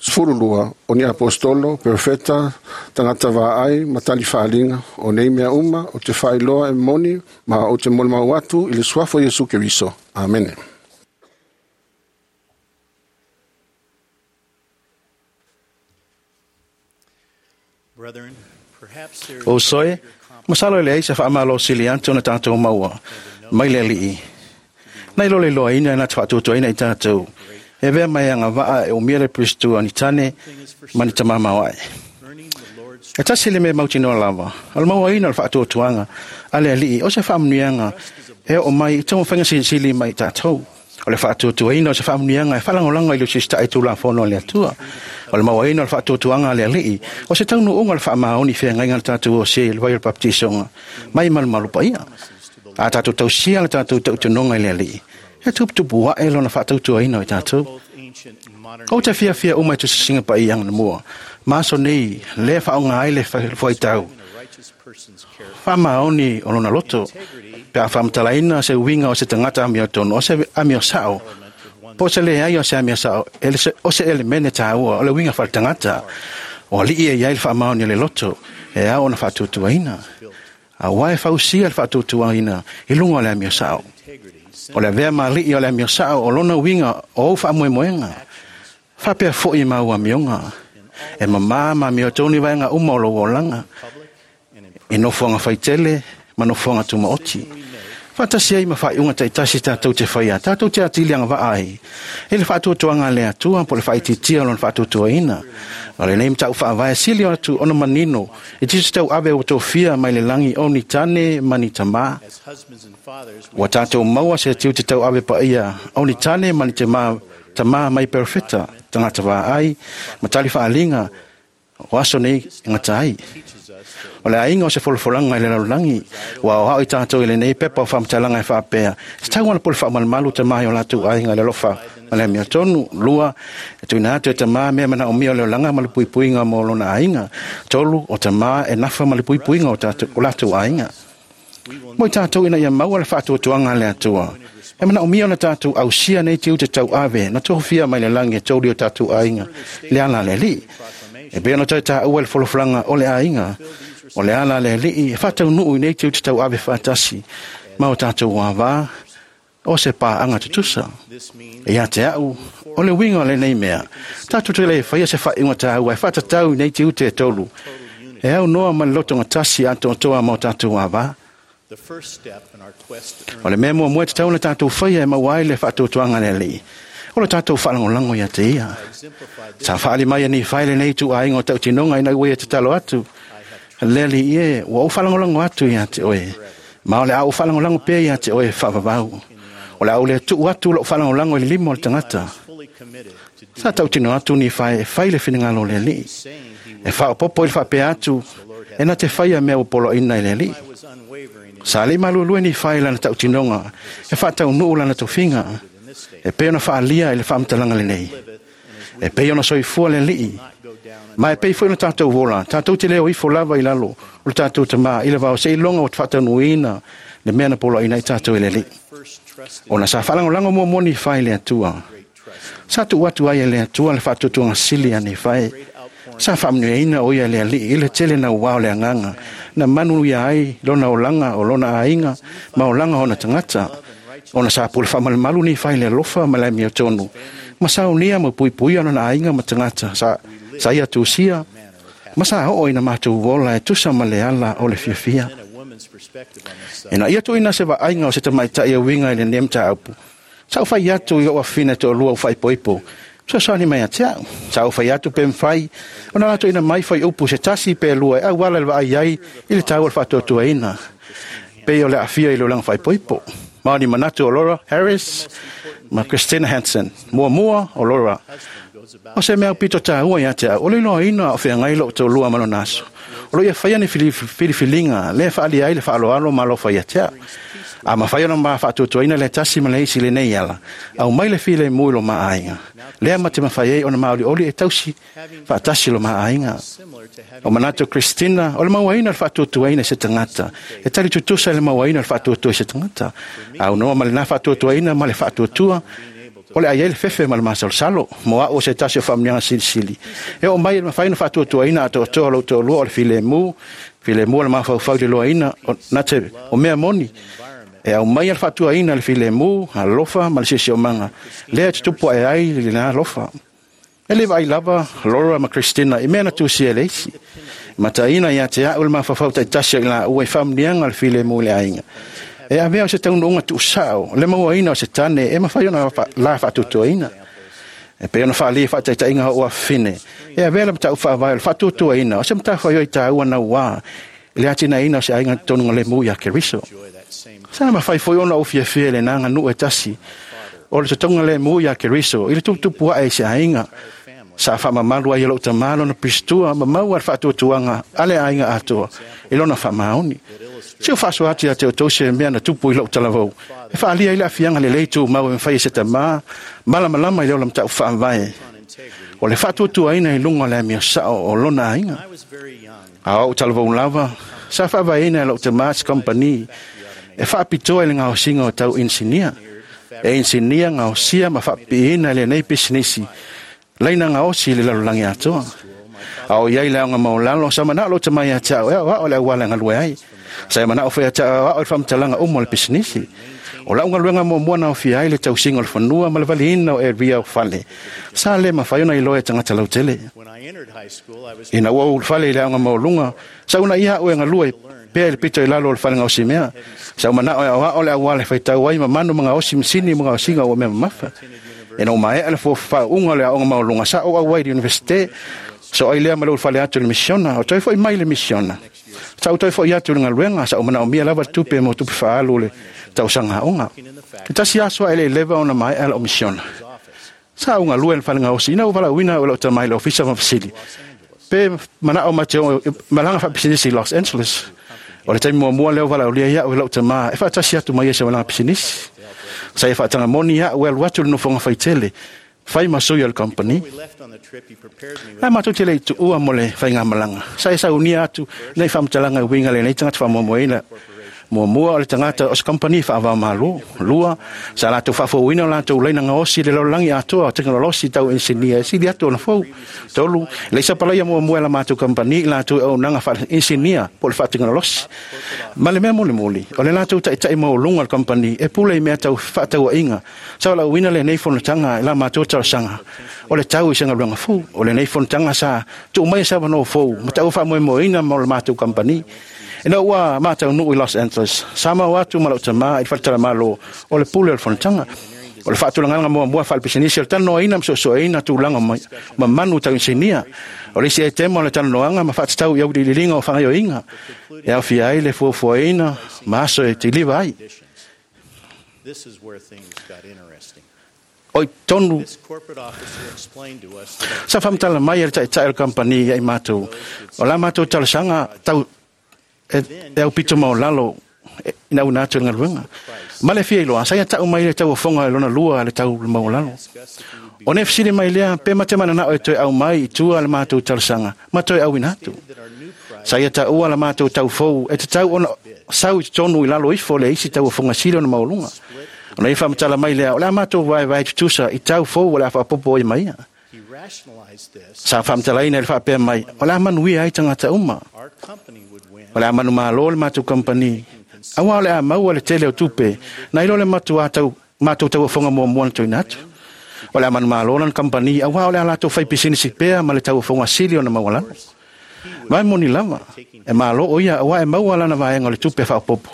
sefulu lua o ni apostolo perfecta tagata vaai ma tali faaliga o nei mea uma o te faailoa e moni ma o te molimau atu i le suafa o Iesu Keriso. Amene. Brethren, perhaps there is O soe, masalo le ai se whaamalo sili atu na tātou maua, mai le alii. Nei lo le loa ina na te whaatutua ina i tātou. E vea mai anga waa e o mia le Pristu ani tane mani tamama ai. earning the Lord's E tasi le me mautinoa lava. O le maua ina o le whaatuatuanga a le alii o se whaamunuianga e o mai i tamu whainga silisili mai tātou. O le whaatuatuaina o se whaamunuianga e whalangolanga i le sista i tūla whono le atua. O le maua ina o le whaatuatuanga a le alii o se taunu unga le whaamaoni whia ngainga le tātou o se le vai o le baptisonga. Mai malu malu pa ia. A tātou tausia le tātou tautunonga i le alii. E tuputupu wa e lona whaatautuaina o i tātou. both ancient and modern O te fia fia uma i tu singa pa i ang mua. Maso nei, le whaonga ai le whaitau. in a righteous person's character. Whamaoni o lona loto. Pe a whamtalaina se winga o se tangata amio tono, o se amio sao. Po se le ai o se amio sao, ele se, o se elemene tāua, o le winga whal tangata. O li ia iai le whamaoni o le loto, e au ona whaatutuaina. A wae whausia le whaatutuaina, i lunga o le amio sao. Integrity O le vea mali o le amio sao, o lona winga o au whaamoemoenga. Whapea fo i mau amionga. E mamā ma mio tōni vaenga uma o lo olanga. public and in E nofoanga whaitele, ma nofoanga tumaoti. Whatasi ai ma whaiunga taitasi tātou te whaia, tātou te atilianga waa ai. E le whaatuatuanga le atua, po le whaititia o lona whaatuatuaina. O le nei mtau whaavae sili o atu ona manino, e tisi tau ave o tōfia mai le langi o ni tane mani tamā. as husbands and fathers we Ua tātou maua se tiu te tau ave pa ia, o ni tane mani te mā, tamā mai perfecta, tangata wā ai, ma tali whaalinga, o aso nei ngata ai. teaches us that O le ainga o se folofolanga i le lalulangi, ua o hao i tātou i le nei pepa o whamtalanga e whaapea. Se tau ana pole whaamalumalu te mahi o lātou ainga le lofa ma le amio tonu. Lua, e tuina atu e te mā mea mana o mia o le olanga ma le puipuinga mo lona ainga. Tolu, o te mā e nafa ma le puipuinga o, tātou, o lātou ainga. Mo i tātou ina ia maua le whaatuatuanga le atua. E mana o mia o le tātou ausia nei te ute tau ave, na tohofia mai le langi e tōri o tātou ainga, le ala le li. E pea na tau tā ua le folofolaga o le aiga, o le ala le alii, e whātau nuu i nei te ute tau ave whātasi, ma o tātou wāwā, o se pāanga tutusa. this means E ia te au, o le winga o le nei mea, tātou te le whaia se whainga tāua, e whātatau i nei te ute e tolu. E au noa ma le lotonga tasi a toa ma o tātou wāwā. the first step in our quest to O earn le mea mua mua te tau na tātou whaia e maua ai le whaatuatuanga le alii. O le tātou whalangolango ia te ia. exemplified this Sa whaali mai ani whaile nei tu ainga o tautinonga ina ue e te talo atu. Le ali ie, ua o whalangolango atu ia te oe. Ma o le au whalangolango pē ia te oe whaavavau. O le au le tu atu lo whalangolango i le lima o le tangata. fully committed to Sa tautino atu ni whae e whai le whiningalo le alii. saying he E whaopopo i le whaapea atu, e na te whaia mea o polo ina i le alii. was unwavering in Sa le malulue ni whai lana tautinonga, e whaatau nuu lana tofinga, e pe ona whaalia i le whaamtalanga le nei. E pe ona soifua le alii. Ma e pei foi na tātou vola, tātou te leo ifo lava i lalo, o le tātou tamā, i le vao se ilonga o te whaataunuina, Le mea na poloaiina ai tatou e le Alii. Ona sa faalagolago muamua Nifai i le Atua. Sa tuu atu ai e le Atua le faatuatuaga sili a Nifai. Sa faamanuiaina o ia e le Alii i le tele nauā o le agaga na manuia ai lona olaga o lona aiga ma olaga o ona tagata. Ona sa pule faamalumalu Nifai i le alofa ma le amiotonu ma saunia ma puipuia lona aiga ma tagata sa, sa ia tusia ma sa oo ina matou ola e tusa ma le ala o le fiafia. Ina ia tuuina se vaaiga o se tamaitai e uiga i lenei mataupu, sa ou fai atu i ou afafine toalua ua faaipoipo, fesoasoani mai ia te au. Sa ou fai atu pe mafai ona latou ina mai fuaiupu se tasi pe lua e auala i le vaai ai i le taua o le faatuatuaina, pei o le aafia i le olaga faaipoipo. Ma o ni manatu o Laura Harris ma Christina Hansen. Muamua o Laura, o se mea aupito taua ia te au, o le iloaina o feagai lou toalua ma lona aso. O lo o ia faia ni filifiliga lea e faaalia ai le faaaloalo ma alofa ia te au. A mafai ona ma faatuatuaina le tasi ma le isi i lenei ala, aumai le filemu i lo ma aiga. Lea ma te mafai ai ona maolioli e tausi faatasi lo ma aiga. O manatu o Christina, o le mauaina o le faatuatuaina i se tagata, e tali tutusa i le mauaina o le faatuatua i se tagata. Aunoa ma lena faatuatuaina ma le faatuatua, o le ai ai le fefe ma le masalosalo, mo au o se tasi o faamanuiaga silisili. E oo mai e mafai ona faatuatuaina atoatoa lou toalua o le filemu, filemu o le mafaufau i le iloaina o, na te, o mea moni. E aumai le faatuaina le filemu, alofa ma le siosiomaga, lea e tutupu ae ai lena alofa. E le vaai lava Laura ma Christina i mea na tusia e le isi. Mataina ia te au le mafaufau taitasi o i laua i faamanuiaga o le filemu i le aiga. E avea o se taunuuga tuusao, le mauaina o se tane e mafai ona la faatuatuaina. E pei ona faaalia i faataitaiga o afafine, e avea le mataupu faavae o le faatuatuaina o se matafaioi taua nauā i le atinaeina o se aiga tonu lemu ia Keriso. Sa mafai foi ona ou fiafia i le aganuu e tasi o le totoga lemu ia Keriso i le tuputupu ae i se aiga. Sa faamamalu ai e lou tamā lona pistua ma maua le faatuatuaga a le aiga atoa i lona faamaoni. Se o faasoa atu ia te outou se mea na tupu i lou talavou, e faaalia ai le aafiaga lelei tumau e mafai e se tamā malamalama i le ola mataupu faavae o le faatuatuaina i luga o le amio sao o lona aiga. A o ou talavou lava, sa faavaeina e lou tamā se kompani e faapitoa i le gaosiga o tau inisinia. E inisinia gaosia ma faapipiina i lenei pisinisi laina gaosi i le lalolagi atoa. A o iai le aoga maulalo, sa manao lou tamā ia te au e aoao le auala e galue ai. Sa e manao foi ia te au e aoao i le faamatalaga uma o le pisinisi. O lau galuega muamua na aofia ai le tausiga o le fanua ma le valiina o area o fale. Sa le mafai ona iloa e tagata lautele. Ina ua ou ulufale i le aoga maualuga, sa uunaia au e galue pea i le pito i lalo o le fale gaosimea. Sa ou manao e aoao le auala e faitau ai ma manu ma gaosi masini ma gaosiga ua mea mamafa. Ina ua maea le faauuga o le aoga maualuga, sa ou auai i le universite. Sa ou ai lea ma le ulufale atu i le misiona, o toe foi mai le misiona. Sa ou toe foi atu i le galuega, sa ou manaomia lava le tupe mo tupe faaalu o le tausaga aoga. E tasi aso ae le i leva ona maea lau misiona. Sa ou galue i le fale gaosi, ina ua valaauina au e lou tamā i le ofisa ma fesili, pe manao ma te o malaga faapisinisi i Los Angeles. O le taimi muamua lea ua valaaulia ai au e lou tamā e faatasi atu mai ai se malaga pisinisi. Sa ia faataga moni au e alu atu i le nofoaga faitele, fai ma sui o le kompani. Ae matou te le i tuua mo le faigamalaga. Sa e saunia atu nei faamatalaga e uiga lenei tagata faamoemoeina. Muamua o le tagata o se kompani faava-o-Malo. Lua, sa latou faafouina o latou laina gaosi i le lalolagi atoa o tekonolosi tau inisinia e sili atu ona fou. Tolu, le sapalaia muamua e la matou kompani i latou e auaunaga faa-inisinia po o le faatekonolosi. Ma le mea mulimuli, o le latou taitai maualuga o le kompani e pule i mea tau fefaatauaiga. Sa valaauina lenei fonotaga i la matou talosaga o le tau i se galuega fou. O lenei fonotaga sa tuu mai e se avanoa fou ma taua faamoemoeina mo le matou kompani. Ina ua mataunuu i Los Angeles, sa mau atu ma lau tamā i le faletalamalo o le pule o le fonotaga. O le faatulagaga muamua faalepisinisi o le talanoaina ma soosooina tulaga ma manu tau inisinia. O le isi aitema o le talanoaga ma faatatau i auiliiliga o faagaoioiga e aofia ai le fuafuaina ma aso e tiliva ai. This is where things got interesting. O i tonu This corporate officer explained to us that sa faamatala mai e le taitai o le kampani ia i matou. O la matou talosaga tau e, e aupito maulalo e, ina una atu i le galuega. Ma le fia iloa, sa ia tau mai le tauofoga i lona lua le tau maulalo. O nei fesili mai lea, pe ma te mananao e toe au mai i tua le matou talosaga, ma toe auina atu. that our new price Sa ia taua la matou taufou e tatau ona sau i totonu i lalo ifo le isi tauofoga sili ona maualuga. Ona ia faamatala mai lea, o le a matou vaevae tutusa i tau fou o le a faapopo ai ma ia. He rationalized this. Sa faamatalaina i le faapea mai, o le a manuia ai tagata uma. Our company would win. O le a manumalo le matou kamupani. Auā o le a maua le tele o tupe, nai lo le matuā tau matou tauofoga muamua na tuuina atu. O le a manumalo lana kamupani, auā o le a latou faipisinisi pea ma le tauofoga sili ona maualalo. Vai moni lava, e malo o ia, auā e maua lana vaega o le tupe faaopoopo.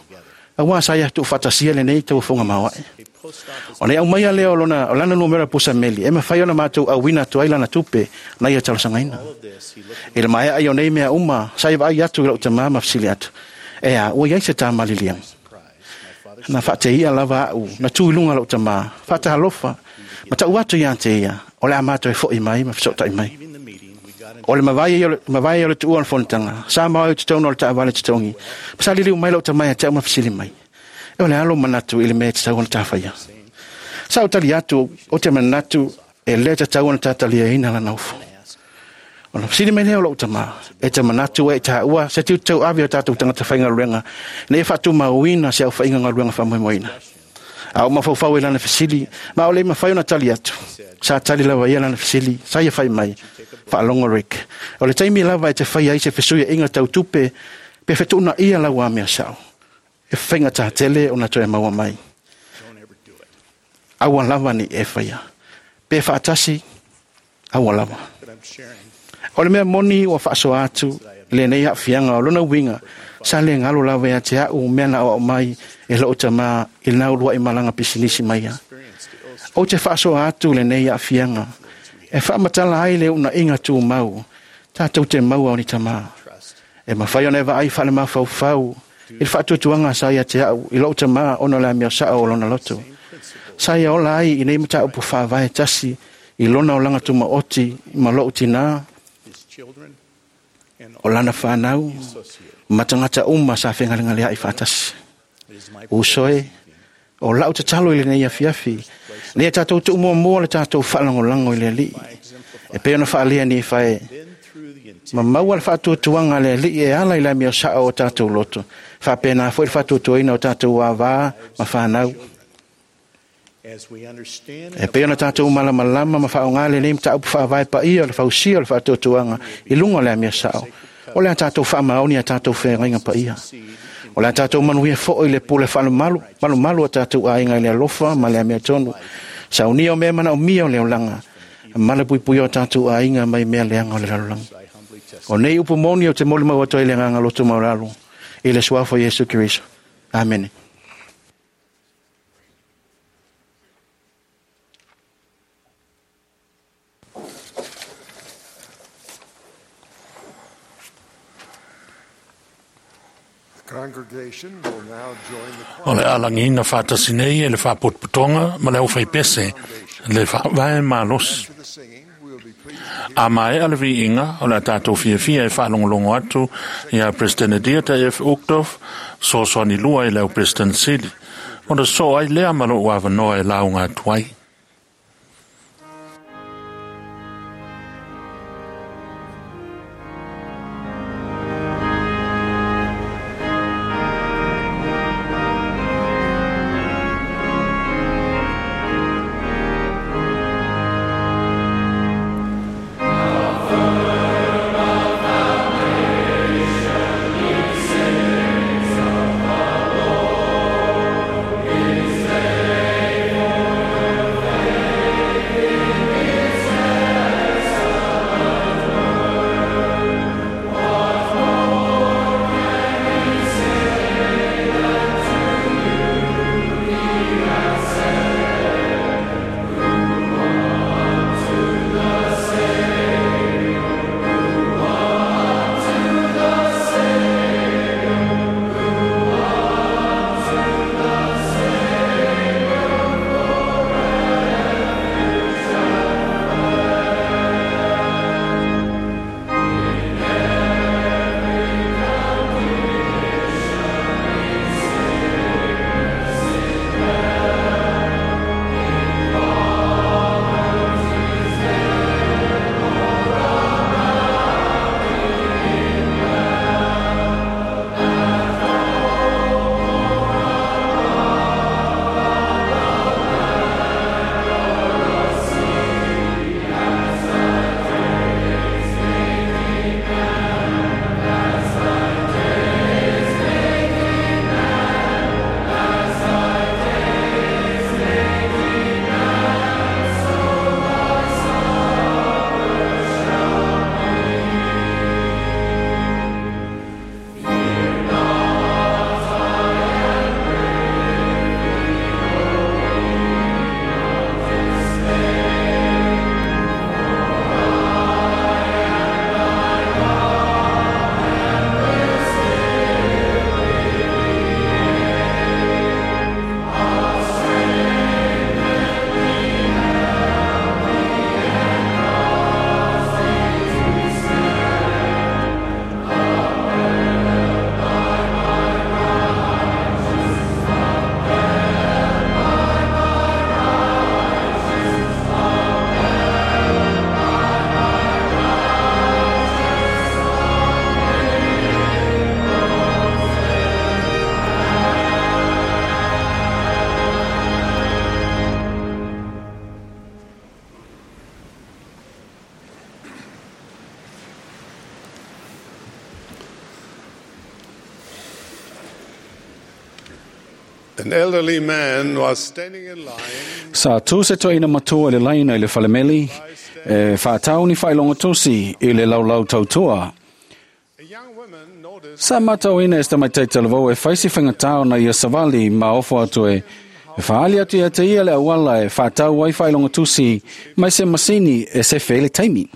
Auā sa ia tuufaatasia lenei tauofoga maoae. A post office O le aumaia lea o lona, o lana numera pusameli, e mafai ona matou auina atu ai lana tupe na ia talosagaina. all of this, he looked at I le maea ai o nei mea uma, sa ia vaai atu i lou tamā ma fesili atu. E a, ua iai se tamaliliaga. surprise. My father Na faateia lava au, na tu i luga lou tamā, faatalofa, ma tau atu ia te ia, o le a matou e fo'i mai ma fesootai mai. leaving the meeting, we got into O le mavae ia o le mavae ia o le tuua o le fonotaga, sa mao ai i totonu o le taavale totogi. Ma sa liliu mai lou tamā ia te au ma fesili mai. E o le a lou manatu i le mea e tatau ona tafaia. Sa ou tali atu, o te manatu e le tatau ona tataliaina lana ufo. Ona fesili mai lea o lou tamā, e te manatu e i tāua, se tiute tauave o tatou tagata faigaluega, ina ia faatumauina se aufaiga galuega faamoemoeina. A o mafaufau i lana fesili, ma o le mafai ona tali atu. Sa tali lava ia lana fesili, sa ia fai mai, faalogo Rick. O le taimi lava e te fai ai se fesuiaiga tau tupe, pe fetuunaia lau amio sao. E faigata tele ona toe maua mai. don't ever do it. Aua lava ni e faia. Pe faatasi, aua lava. But I'm sharing O le mea moni ua faasoa atu lenei aafiaga o lona uiga, sa le galo lava ia te a'u mea na aoao mai e loo tamā i lena uluai malaga pisinisi mai ia. experience to illustrate Ou te faasoa atu lenei aafiaga e faamatala ai le uunaiga tumau tatou te maua o ni tamā. trust. E mafai ona e vaai faalemafaufau i le faatuatuaga sa ia te a'u i lou tamā ona o le amio sao o lona loto. Sa ia ola ai i nei mataupu faavae tasi i lona olaga tumaoti ma lou tinā, His children and o lana whanau, associate. ma tagata uma sa fegalegalea'i faatasi. It is my Uso e, o lau tatalo i lenei afiafi, nei tatou tuumuamua le tatou faalagolago i le alii. E pei ona faalia ni fae, then through the intent ma maua le faatuatuaga a le alii e ala i le amio sao o tatou loto. Faapena foi le faatuatuaina o tatou avā ma whanau. as we understand E pei ona tatou malamalama ma faaaoga lenei mataupu faavae paia o le fausia o le faatuatuaga i luga o le amio sao. O le a tatou faamaoni a tatou feagaiga paia. O le a tatou manuia foi i le pule faalemalu, malumalu o tatou aiga i le alofa ma le amiotonu. Saunia o mea manaomia o le olaga, ma le puipuia o tatou aiga mai mea leaga o le lalolagi. I humbly testify. O nei upu moni o te molimau atu ai le agaga loto maualalo, i le suafa o Iesu Keriso. Amene. The congregation will now join the O choir. le alagiina faatasi nei e le faapotopotoga ma le aufaipese le faavae malosi. After the singing, we will be pleased to hear A maea le viiga o le a tatou fiafia e faalogologo atu ia President Dieter F. Uchtdorf, soasoani lua i le au President Sili. Ona soo ai lea ma lou avanoa e lauga atu ai. the An elderly man was standing in line. Sa tu se toina matua le laina i le falemeli, e whātauni whailonga tosi i le laulau tautua. Sa matauina e tamai taitalavou e whaisi whangatao na ia savali ma ofo atu e e whaali atu ia te ia le awala e whātau ai whailonga tusi mai se masini e se whele taimi.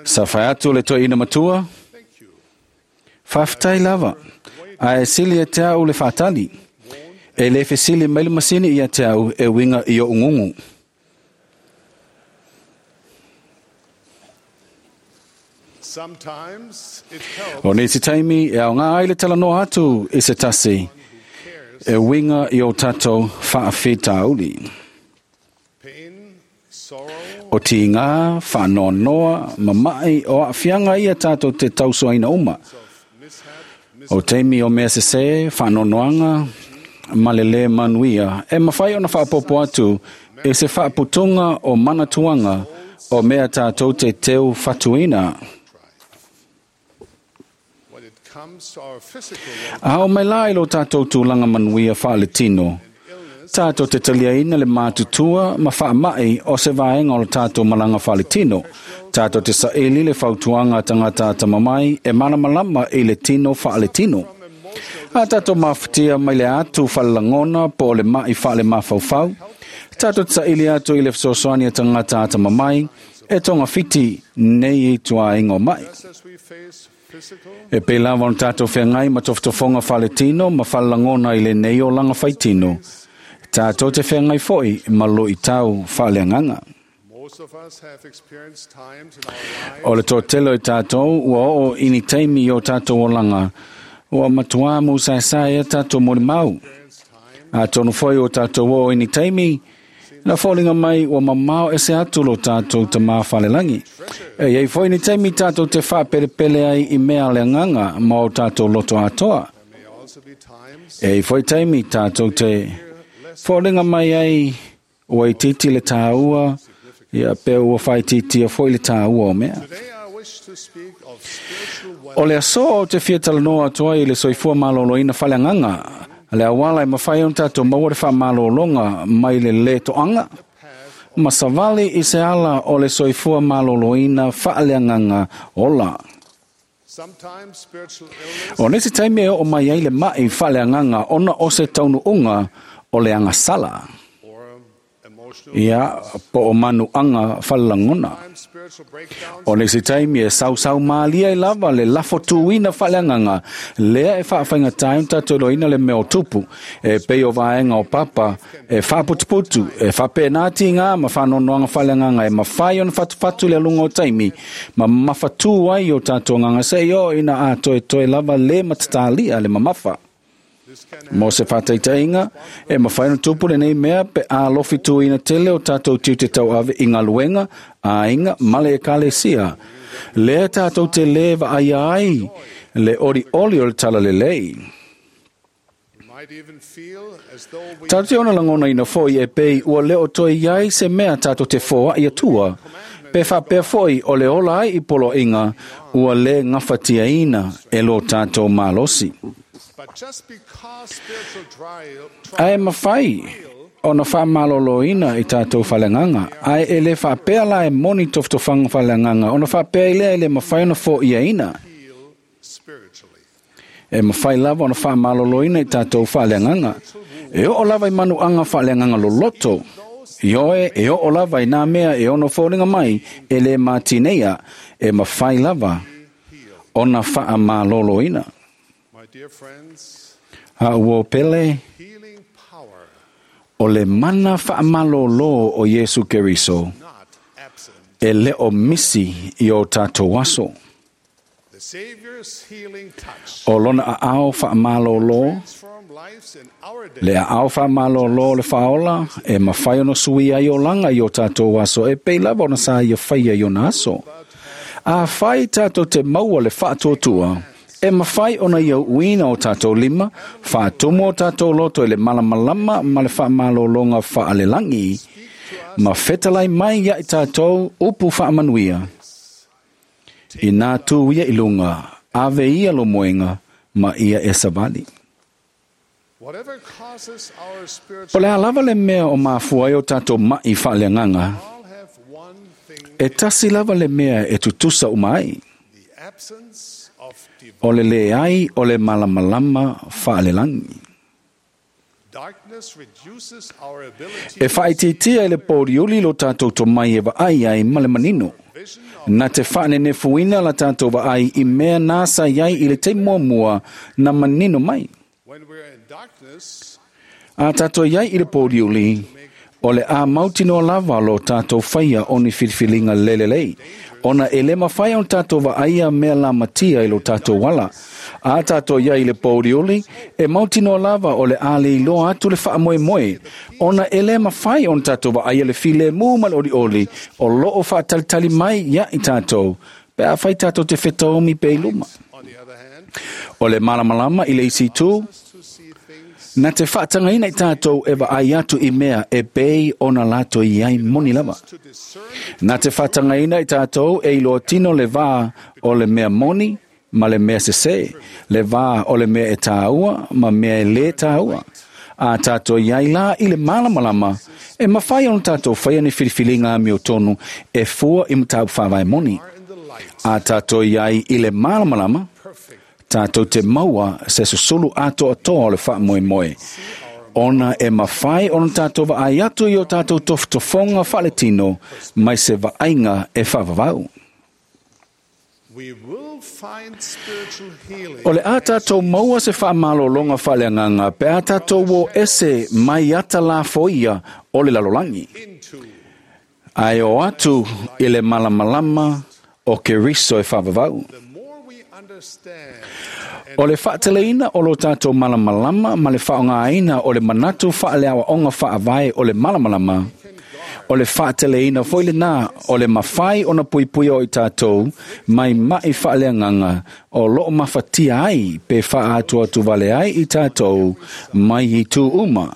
Sa whai atu le toina matua, whawhitai lava, a e sili e te au le whātali. E le fesili mai le masini ia te au e winga i o ungungu. O nisi taimi e au ngā ai le talanoa atu i se tasi e winga i o tātou whaawhitauli. O ti ngā whaanoanoa mamai o awhianga ia tātou te tausoaina uma. O teimi o mea sese whaanoanoanga malele manuia e mawhai ona whaapopo atu e se whaaputunga o manatuanga o mea tātou te teu whatuina. A o mai lai lo tātou tūlanga manuia whaaletino. Tātou te taliaina le mātutua ma whaamai o se vaenga o le tātou malanga whaaletino. Tātou te saeli le fautuanga tangata tamamai e manamalama i le tino whaaletino. A tātou mawhitia mai le atu whalalangona po o le mai whaale mawhauwhau. Tātou te saeli atu i le whasosoani a tangata tamamai e tonga whiti nei i tua ingo mai. E pe lava o tātou whengai ma toftofonga whaletino ma whalalangona i le nei o langa whaitino. Tātou te whengai foi ma lo i tau whaleanganga. O le tōtelo i tātou ua o ini teimi i o tātou o langa. Ua matua mu saesai e tātou mori mau. A tonu foi o tātou o ini teimi, na fōlinga mai ua mamao e se atu lo tātou te mā whalelangi. E iei foi ni teimi tātou te whāperepele ai i mea le nganga ma o tātou loto atoa. E foi teimi tātou te fōlinga mai ai ua i titi le tāua, ia pe ua whaititi a foi le tāua o mea. O le aso o te fia talanoa atu ai i le soifua maloloina whaleanganga, le awala e mawhai on tātou maua le whamalolonga mai le le toanga, ma savali i se ala o le soifua maloloina whaaleanganga ola. O nisi taimi e o mai ai le mai whaaleanganga ona o se taunu unga o le angasala. Ia po o manu anga whalalangona. O nisi taimi e sausau maalia i lava le lafo tuina whaleanganga. Lea e whaawhainga taim tātou le meo tupu. E pei o vaenga o papa e whaputuputu. E whapenati ngā ma whanonoanga whaleanganga e mawhai ona whatuwhatu le lunga o taimi. Ma mawhatu ai o tātou nganga se o ina a toe toe lava le matatalia le mamafa. Mo se whataitainga, e mawhai no tupu le nei mea pe a lofi tuina tele o tātou tiu te tau ave i ngā luenga, a inga male e kalesia. Lea tātou te lewa ai ai, le ori oli o le tala le lei. Tātou te ona langona ina foi e pei ua leo toi iai se mea tātou te foa i atua. Pe whapea foi o le ola ai i polo inga ua le ngawhatia ina e lo tātou malosi. Ae mawhai o na whamaloloina i tātou whalenganga. Ae e le whapea la e moni toftofanga whalenganga. O na whapea i lea e le mawhai o na fo ia ina. E mawhai lava o na whamaloloina i tātou whalenganga. E o lava i manu anga whalenganga loloto. Ioe e o lava i nā mea e ono fōringa mai e le mātinea e mawhai lava o na whaamaloloina. A ua pele o le mana whaamalolo o Yesu Keriso e le o misi i o tātou aso. O lona a ao whaamalolo, le a ao whaamalolo le whaola e mawhai ono sui ai o langa i o tātou aso e pei lava ona sa ia whaia i ona aso. A whai tātou te maua le whaatuatua, e mawhai ona ia uina o tātou lima, whaatumu o tātou loto e le malamalama ma le whaamalolonga whaalelangi, ma whetalai mai ia i tātou upu whaamanuia. I nā tū ia i lunga, ave ia lo moenga, ma ia e savali. Whatever causes our O spiritual le a lava le mea o mafua ai o tātou mai whaaleanganga, all have one thing e tasi lava le mea e tutusa uma ai. the absence of divine O le le ai o le malamalama whaalelangi. darkness reduces our ability E whaititia i le pōriuli lo tātou to mai e vaai ai ma le manino. vision of Na te whaanenefuina la tātou vaai i mea nā sa iai i le te mua na manino mai. when we're in darkness A tātou iai i le pōriuli, o le a mautino lava lo tātou whaia o ni whiriwhiringa lelelei. Ona e le mawhai o tātou vaaia mea la matia i lo tātou wala. A tātou iai i le pōriuli, e mautino lava o le a le iloa atu le whaamoe moe. Ona e le mawhai o tātou vaaia le file mū ma le ori oli, o loo whaatalitali mai ia i tātou. Pe a whai tātou te whetaomi pe i luma. on the other hand O le malamalama i le isi tū, to see things na te whaatangaina i tātou e vaai atu i mea e pei ona lato i ai moni lava. to discern Na te whaatangaina i tātou e iloa tino le vā o le mea moni ma le mea sese, le vā o le mea e tāua ma mea e le tāua. A tātou i ai la i le malamalama, e mawhai ona tātou whaia ni whiriwhiringa mi o tonu e fua i mtāu whāwai moni. are in the light A tātou i ai i le malamalama, perfect tātou te maua se susulu ato atoa o le whaamoe moe. Ona e mawhai ona tātou vaai atu i o tātou tofotofonga whaletino mai se vaaiga e whaavavau. we will find spiritual healing O le a tātou maua se whaamalolonga whaleanganga pe a tātou o ese mai ata la foia o le lalolangi. into Ai o atu i le malamalama o Keriso e whaavavau. the more we understand O le whaateleina o lo tātou malamalama ma le whaongaina o le manatu whaaleawa onga whaavae o le malamalama. O le whaateleina foi le nā o le mawhai o na puipui o i tātou mai mai whaaleanganga o loo mawhatia ai pe whaatu atu vale ai i tātou mai i tū uma.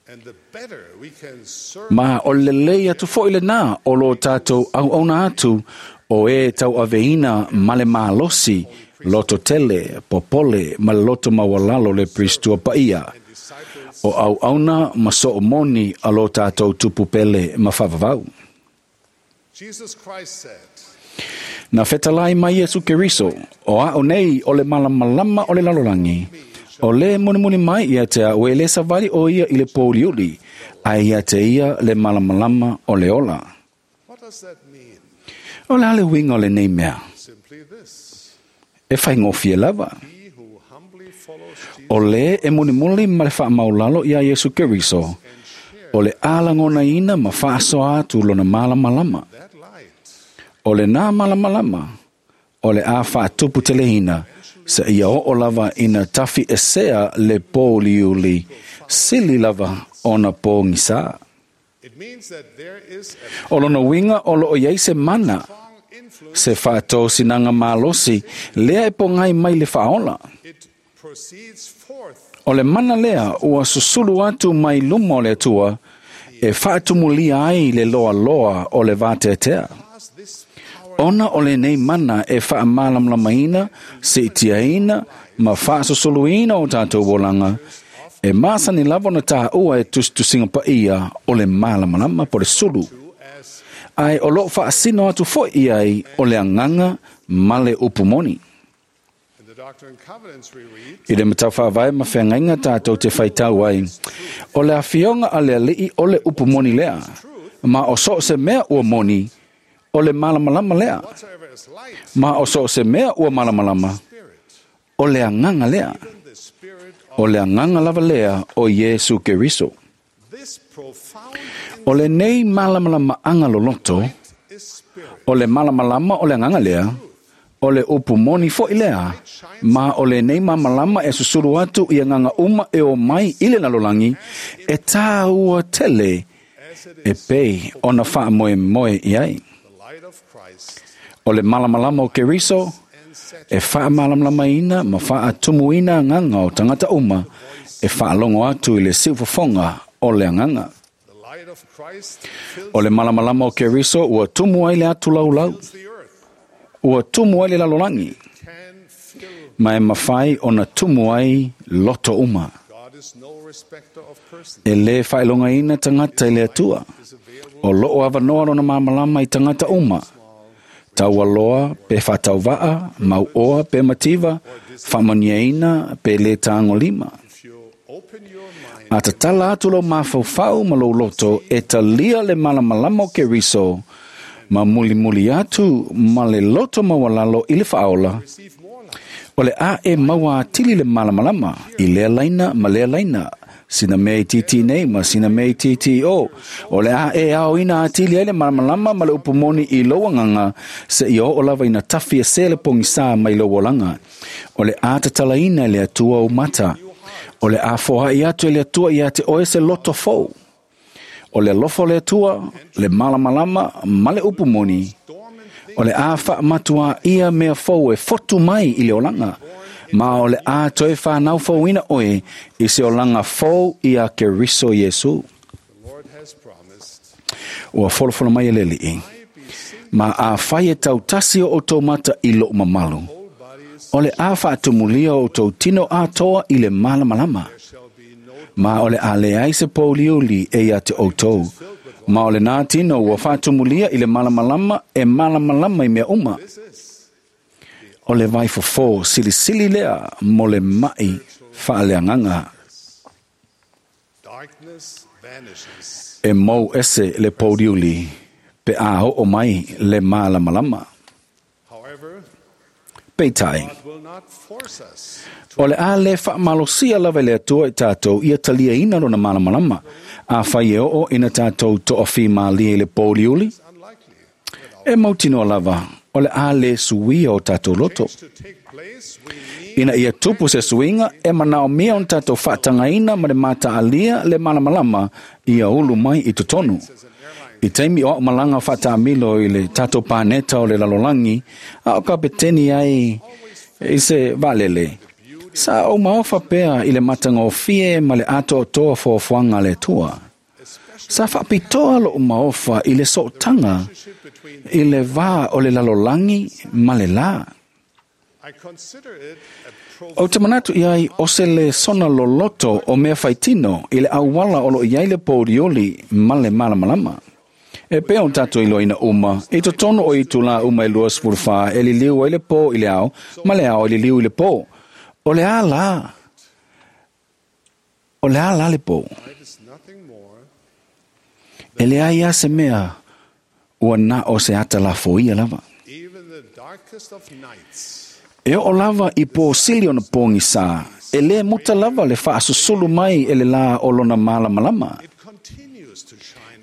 and the better we can serve Ma o le lei atu foi le nā o lo tātou au auna atu o e tau aveina male mālosi, loto tele, popole, ma le loto mawalalo le pristua paia. disciples O au auna ma so moni a lo tātou tupu pele ma whavavau. Jesus Christ said Na whetalai mai Yesu Keriso, o a o nei o le malamalama o le lalolangi. O le munimuni mai ia te a ue le savali o ia i le pōriuli, a ia te ia le malamalama o le ola. what does that mean O le ale winga o le nei mea, simply this e whai ngōwhia lava. he who humbly follows Jesus O le e munimuli ma le whaamaulalo ia Yesu Keriso, o le alangona ina ma whaasoa atu lona malamalama. that light O le nā malamalama, o le a whaatupu te lehina, se ia o lava ina tawhi e sea le pōliuli, sili lava ona pōngisa. it means that there is a O lona winga o lo o iai se mana, strong influence se whaatō sinanga mālosi, lea e pongai mai le whaola. it proceeds forth O le mana lea ua susulu atu mai luma o le atua, e whaatumulia ai le loa loa o le vāteatea. past this power Ona o le nei mana e whaamalamlamaina, se itiaina, ma whaasusuluina o tātou wolanga, e māsani lava na tā ua e tustusinga pa ia o le malamalama po le sulu. as Ai o loo whaasino atu foi iai o le anganga ma le upumoni. in the Doctrine and Covenants we read I le matau whaavae ma whangainga tātou te whaitau ai. O le awhionga a le alii o le upumoni lea. Ma o so se mea ua moni, o le malamalama lea. whatsoever is light Ma o so se mea ua malamalama, spirit o le anganga lea. even the spirit of O le anganga lava lea o Yesu Keriso. this profound O le nei malamalama anga loloto, is spirit o le malamalama o le anganga lea, o le upumoni foi lea, ma o le nei mamalama e susulu atu i anganga uma e o mai i le nalolangi, e tāua tele as it e is pei ona whaamoe moe i ai. the light of Christ O le malamalama o Keriso, and set e whaamalamalamaina ma whaatumuina anganga o tangata uma, e whaalongo atu i le siufafonga o le anganga. the light of Christ fills O le malamalama o Keriso ua tumu ai le atu laulau, the earth ua tumu ai le lalolangi, can fill Ma e mawhai o na tumu ai loto uma. E le whailonga ina tangata i le atua. O loo awanoa lona mamalama i tangata uma. Taua loa pe whatauvaa, mau oa pe mativa, whamaniaina pe le tāngo lima. A tatala atu lo mawhauwhau ma lo loto e talia le malamalama o ke riso, ma muli muli atu ma le loto mawalalo i le whaola. O le a e maua atili le malamalama i lea laina ma lea laina. Sina mea i titi nei ma sina mea i titi o. O le a e ao ina atili ai le malamalama ma le upumoni i lauanganga se i o o lava ina tafi e se le pongisa mai lauolanga. O le a tatalaina le atua o mata. O le a fohai atu e le atua i ate oe se loto fou. O le lofo le atua, le malamalama ma le upumoni. O le a wha matua ia mea fou e fotu mai i le olanga. Ma o le a toe whanau fouina oe i se olanga fou i a Keriso Yesu. Ua folofolo mai e le lii. Ma a whai e tau tasi o tō mata i lo mamalu. O le a whaatumulia o tō tino atoa i le malamalama. Ma o le a le ai se pōliuli e ia te o tō. Ma o le nā tino ua whaatumulia i le malamalama e malamalama i mea uma. O le vai fofo silisili lea mo le mai whaaleanganga. E mau ese le pōriuli pe a ho o mai le malamalama. Peitai. O le a le whaamalosia lava le atua i tātou ia talia ina lona malamalama. A whai e oo ina tātou to'awhi mālia i le pōriuli. E mautinoa lava. O le a le suia o tātou loto. Ina ia tupu se suinga, e manao mia o tātou whaatangaina ma le mātaalia le malamalama ia ulu mai i totonu. I teimi o malanga whaatamilo i le tātou pāneta o le lalolangi, a o kapeteni ai i se valele. Sa o maofa pea i le matanga o fie ma le ato o toa fōfuanga le tua. Sa whapitoa lo maofa i le sootanga i le vā o le lalolangi ma le la. O te manatu iai o se le sona loloto o mea whaitino i le awala o lo iai le pōrioli ma le malamalama. E pea o tātou i loina uma, i totono o i tūla uma i lua sfurfa e li liu ai le pō i le ao, ma le ao i li liu i le pō. O le a la, o le a la le pō. E le ai a se mea, ua nā o se ata la foia lava. E o lava i pō sili ona pōngi sā, e le muta lava le whaasusulu mai e le la o lona malamalama.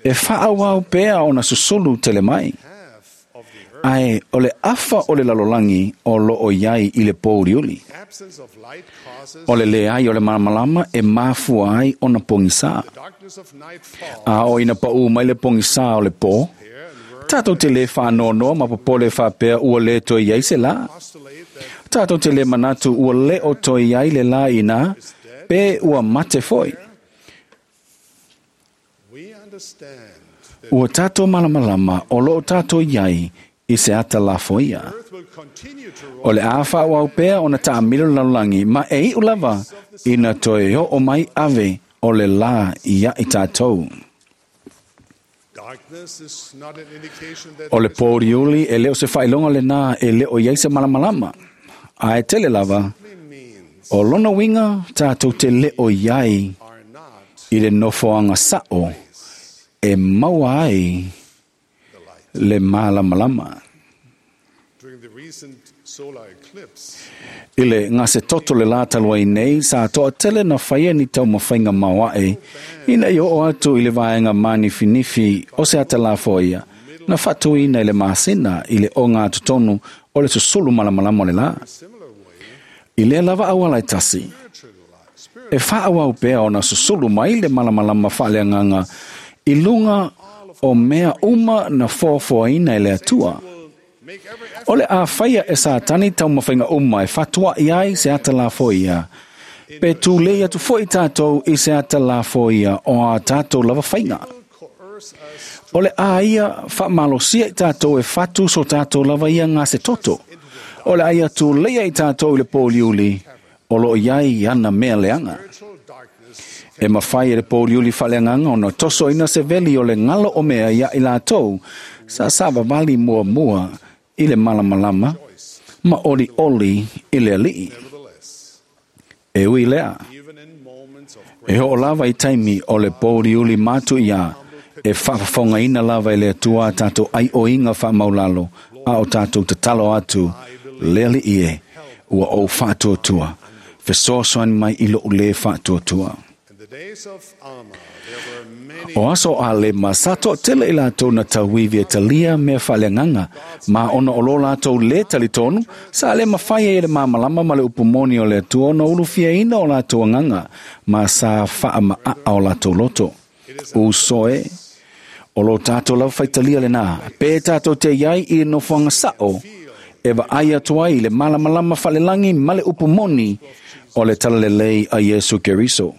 E whaawau pea ona susulu tele mai. Ai, o le afa o le lalolangi o lo o iai i le pōriuli. O le leai o le malamalama e mafua ai ona pōngi sā. A o ina pau mai le pōngi sā o le pō, tātou te le whaanonoa ma popole whapea ua le toi iai se la. Tātou te le manatu ua le o toi iai le la ina, pe ua mate foi. Ua tātou malamalama o lo o tātou iai i se ata la foia. O le a whaawau pea o na taamilo lalolangi, ma e iu lava ina toi o o mai ave o le la ia i tātou. O le pōriuli e leo se whailonga le nā e leo iai se malamalama. A e tele lava, o lona winga tātou te leo iai i le nofoanga sao e maua ai le malamalama. I le ngā se toto le la talua i nei, sa toa tele na whaia ni tau mawhainga mauae, ina i o atu i le vaenga mani finifi o se ata la foia, na whatuina i le masina i le o ngā tutonu o le susulu malamalama o le la. I le lava awala i tasi, e whaawau pea o na susulu mai le malamalama whaaleanganga i lunga o mea uma na fōfōina i le atua. O le a whaia e sātani tau mawhainga uma e whatua i ai se ata la foia. Pe tūlei atu foi tātou i se ata la foia o a tātou lava whainga. O le a ia whamalosia i tātou e whatu so tātou lava ia ngā se toto. O le ai atu leia i tātou i le pōliuli, o lo iai ana mea leanga. E mawhai e le pōliuli whaleanganga ona toso ina se veli o le ngalo o mea ia i lātou, sa sa vavali mua mua i le malamalama, ma oli oli i le alii. E ui lea, e ho o lava i taimi o le pōliuli mātu ia, e whaafafonga ina lava i le atua tātou ai o inga whaamaulalo, a o tātou tatalo atu, le alii e, ua o whaatuatua, fesoasoani mai i lo le whaatuatua. O aso a le masato tele i lātou na tauivi e talia mea whaleanganga, ma ona o lo lātou le talitonu, sa le mawhai e le mamalama ma le upumoni o le atua na ulufia ina o lātou anganga, ma sa whaama a o lātou loto. Usoe, o lo tātou lau whaitalia le nā, pē tātou te iai i no whanga sao, e wa ai atu ai le malamalama whalelangi ma le upumoni o le talalelei a Yesu Keriso.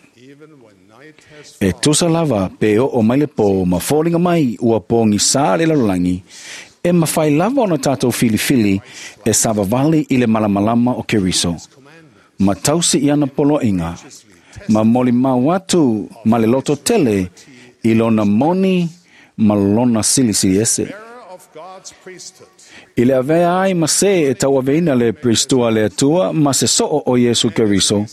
E tusa lava pe o o mai le pō ma fōlinga mai ua pōngi sā le lalolagi, e mawhai lava ona tātou filifili e savavali i le malamalama o Keriso. Ma tausi i ana poloinga, ma moli mau atu ma le loto tele i lona moni ma lona silisili ese. I le avea ai ma se e tau aveina le Pristua le Atua ma se soo o Yesu Keriso.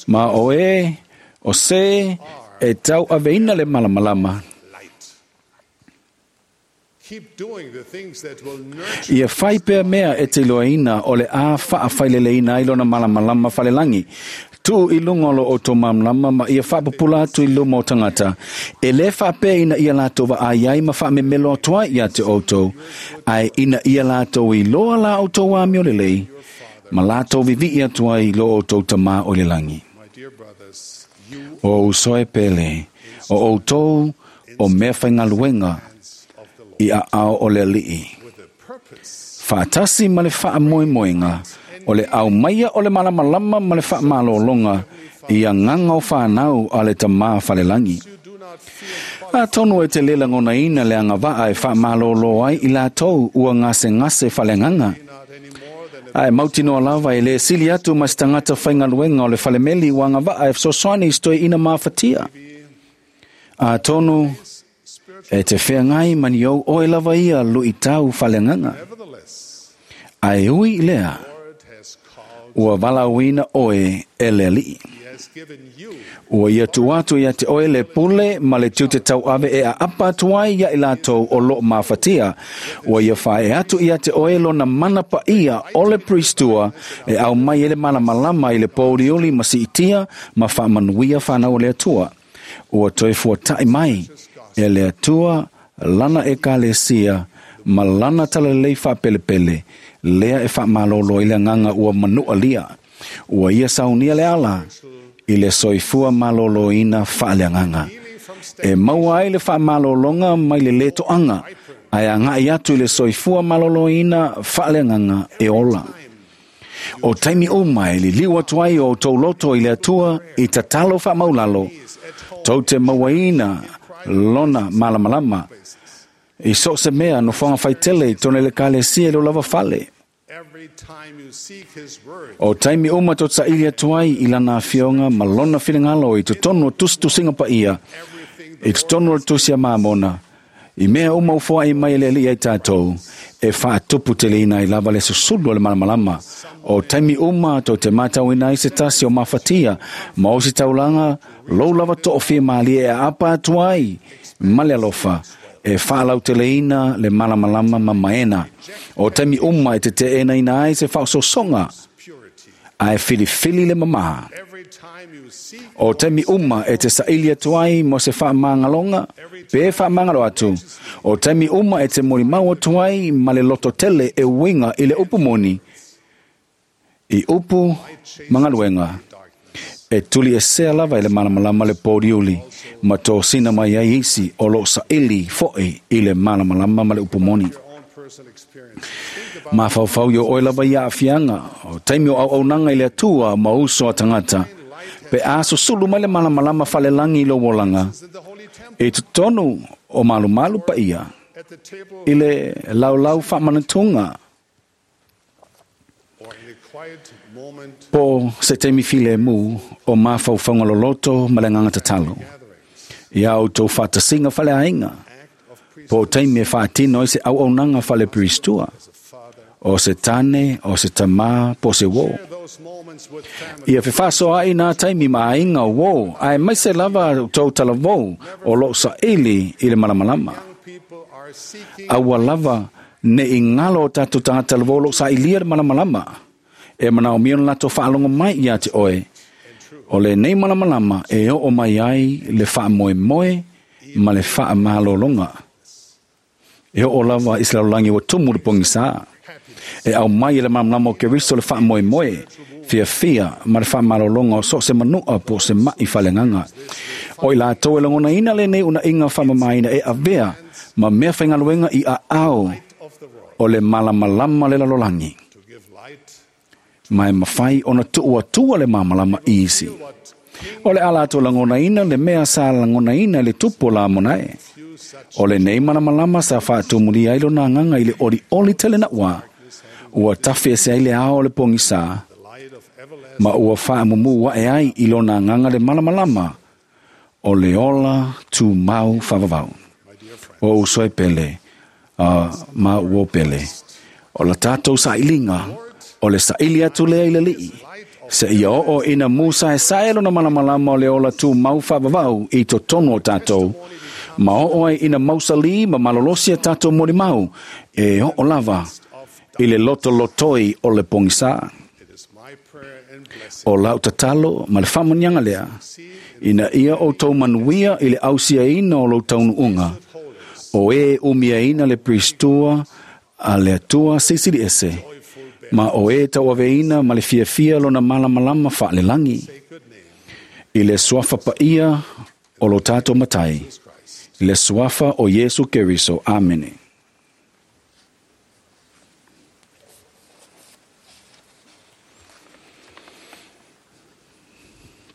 Ma o e, o se e tau aveina le malamalama. Ia whai pea mea e te loaina o le a wha whaileleina ai lona malamalama whalelangi. Tu i lunga lo o tō mamlama ma ia whapapula atu i luma o tangata. E le whapea ina ia lātou wa ai ai ma whaamemelo atua ia te outou. Ai ina ia lātou i loa la o tō wā miolelei. Ma lātou vivi atua i lo o tō tamā o le langi. O usoe pele, o outou o mea whaingaluenga i a ao o le alii. Whaatasi ma le whaamoemoenga, o le au maia o le malamalama ma le whaamalolonga i a nganga o whanau a le tamā whalelangi. A tonu e te lela ngona ina le anga waa e whaamalolo ai i lātou ua ngase ngase whalenganga. Ai mautinoa lava e le sili atu ma stangata whaingaluenga o le whalemeli ua anga waa e sosoani i stoi ina maafatia. A tonu e te wheangai mani au oe lava ia lui tau whalenganga. Ai ui lea, ua walauina oe e le alii. Ua ia tu atu ia te oe le pule ma le tiute tau ave e a apa atu ai ia i lātou o lo maafatia. Ua ia whae atu ia te oe lona mana pa ia o le pristua e au mai ele malamalama i le pōrioli ma siitia ma whaamanuia whanau le atua. Ua toe fuatai mai e le atua lana e kalesia ma lana talalei whaapelepele lea e whaamalolo i le nganga ua manua lia. Ua ia saunia le ala i le soifua malolo ina whaaleanganga. E maua ai le whaamalolonga mai le leto anga, ai a ngai atu i le soifua malolo ina whaaleanganga e ola. O taimi o mai li liu atu ai o tauloto i le atua i tatalo whaamaulalo, tau te maua lona malamalama. I so se mea no whanga whaitele i tone le kalesia i lo lava fale. O taimi uma tō tsaili atu ai i lana afioga ma lona finagalo i totonu o tusitusiga paia, i totonu o le tusi a mamona, i mea uma ufoai mai e le alii ai tātou, e faatupu teleina ai lava le susulu o le malamalama. O taimi uma tō te mātauina ai se tasi o mafatia, ma o se taulaga lou lava toofia malie e apa atu ai ma le alofa, e whaalauteleina le malamalama ma maena. O taimi uma e te te ena ina ai se whaososonga, a e filifili le mamaha. O taimi uma e te saili atu ai mo se whaamāngalonga, pe whaamāngalo atu. O taimi uma e te morimau atu ai ma le loto tele e uinga i le upu moni. I upu mangaluenga. E tuli e sea lava i le malamalama le pōriuli, ma tō sina mai ai isi o lo saili foe i le malamalama ma le upumoni. Ma whauwhau yo oe lava ia awhianga, o taimi o au aunanga i le atua ma uso a tangata, pe a susulu mai le malamalama whalelangi i lo wolanga, e tutonu o malumalu pa ia, i le laulau whaamanatunga, Po se taimi filemu o mafaufauga loloto ma le agaga tatalo. Ia outou faatasiga faleaiga, po o taimi e faatino ai se auaunaga faleperistua, o se tane, o se tamā, po o se uō. Ia fefaasoaai nā taimi ma aiga o uō, ae maise lava outou talavou o loo saili i le malamalama. Aua lava neʻi galo o tatou tagata talavou o loo sailia le malamalama, e manaomia ona latou faalogo mai ia te oe. O lenei malamalama e oo mai ai le faamoemoe ma le faamalologa. E oo lava i se lalolagi ua tumu le pogisā. E aumai e le malamalama o Keriso le faamoemoe, fiafia ma le faamalologa o so o se manua po o se maʻi faaleagaga. O i latou e lagonaina lenei unaʻiga faamamaina e avea ma mea faigaluega i aao o le malamalama le lalolagi. Ma e mafai ona tuu atua le malamalama i isi. O le a latou lagonaina le mea sa lagonaina le tupu o Lamonae. O lenei malamalama sa faatumulia ai lona agaga i le olioli tele naʻua. Ua tafe ese ai le ao o le pogisā, ma ua faamumū aʻe ai i lona agaga le malamalama o le ola tumau faavavau. O uso e pele, uh, ma uo pele. O la tatou sailiga, o le saili atu lea i le alii. Se ia oo ina musa e sae lona malamalama o le ola tumau faavavau i totonu o tatou. Ma oo ai ina mausalī ma malolosi a tatou molimau, e oo lava i le lotolotoi o le pogisā. O lau tatalo ma le faamuniaga lea, ina ia outou manuia i le ausiaina o lou taunuuga, o e umiaina le peristua a le Atua Silisili Ese, ma o e tauaveina ma le fiafia lona malamalama faalelagi, i le suafa paia o lo tatou Matai, i le suafa o Iesu Keriso. Amene.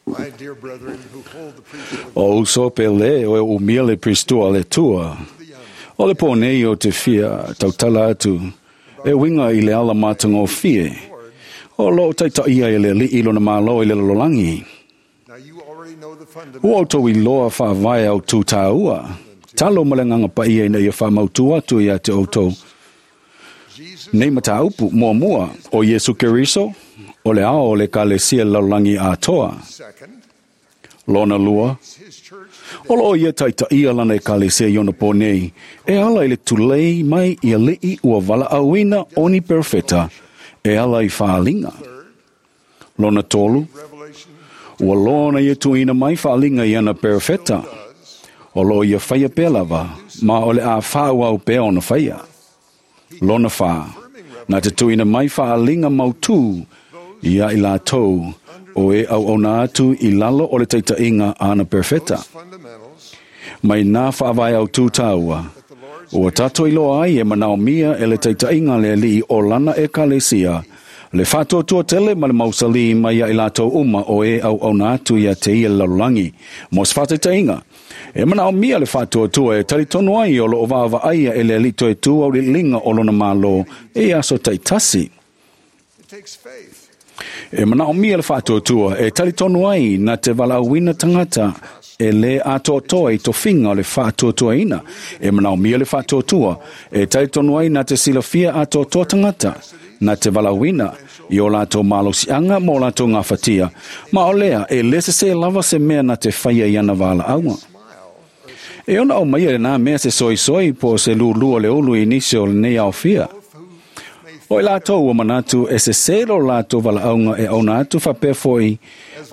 My dear brethren who hold the priesthood of O uso pele o e umia le peristua le Atua. O le pō nei o te fia tautala atu, e uiga i le ala matagofie. O loo taitaʻia e le alii lona mālo i le lalolagi. Now you already know the Ua fundamentals outou iloa faavae au tū tāua. Talo ma le agaga paia ina ia faamautu atu ia te outou. Jesus Nei mataupu muamua o Iesu Keriso, o le ao o le ekalesia lalolagi atoa. second Lona lua, his church o loo ia taitaʻia lana ekalesia i ona pō nei, e ala i le tulei mai i alii ua valaauina o ni perofeta, e ala i faaliga. Lona tolu, revelation ua loa ona ia tuuina mai faaliga i ana perofeta. O loo ia faia pea lava, ma o le a faaauau pea ona faia. Lona whā, na te tuuina mai faaliga mautū ia i latou o e auauna atu i lalo o le taitaʻiga a ana perofeta. fundamentals Mai nā faavae au tū tāua. Ua tatou iloa ai e manaomia e le taitaʻiga le alii o lana ekalesia, le faatuatua tele ma le mausalī mai ia i latou uma o e auauna atu ia te ia le lalolagi. Mo se faataitaiga, e manaomia le faatuatua e talitonu ai o loo vaavaaia e le alii toe tu auliiliga o lona mālō e aso taitasi. It takes faith E manaomia le faatuatua e talitonu ai na te valaauina tagata e lē atoatoa i tofiga o le faatuatuaina. E manaomia le faatuatua e talitonu ai na te silafia atoatoa tagata na te valaauina i o latou malosiaga ma o latou gafatia. Ma o lea e lē sesē lava se mea na te faia i ana valaauga. E ona aumaia lenā mea se soisoi po o se lūlū o le ulu i nisi o lenei aofia. O i latou ua manatu e sesē lo latou valaauga e auna atu faapea foʻi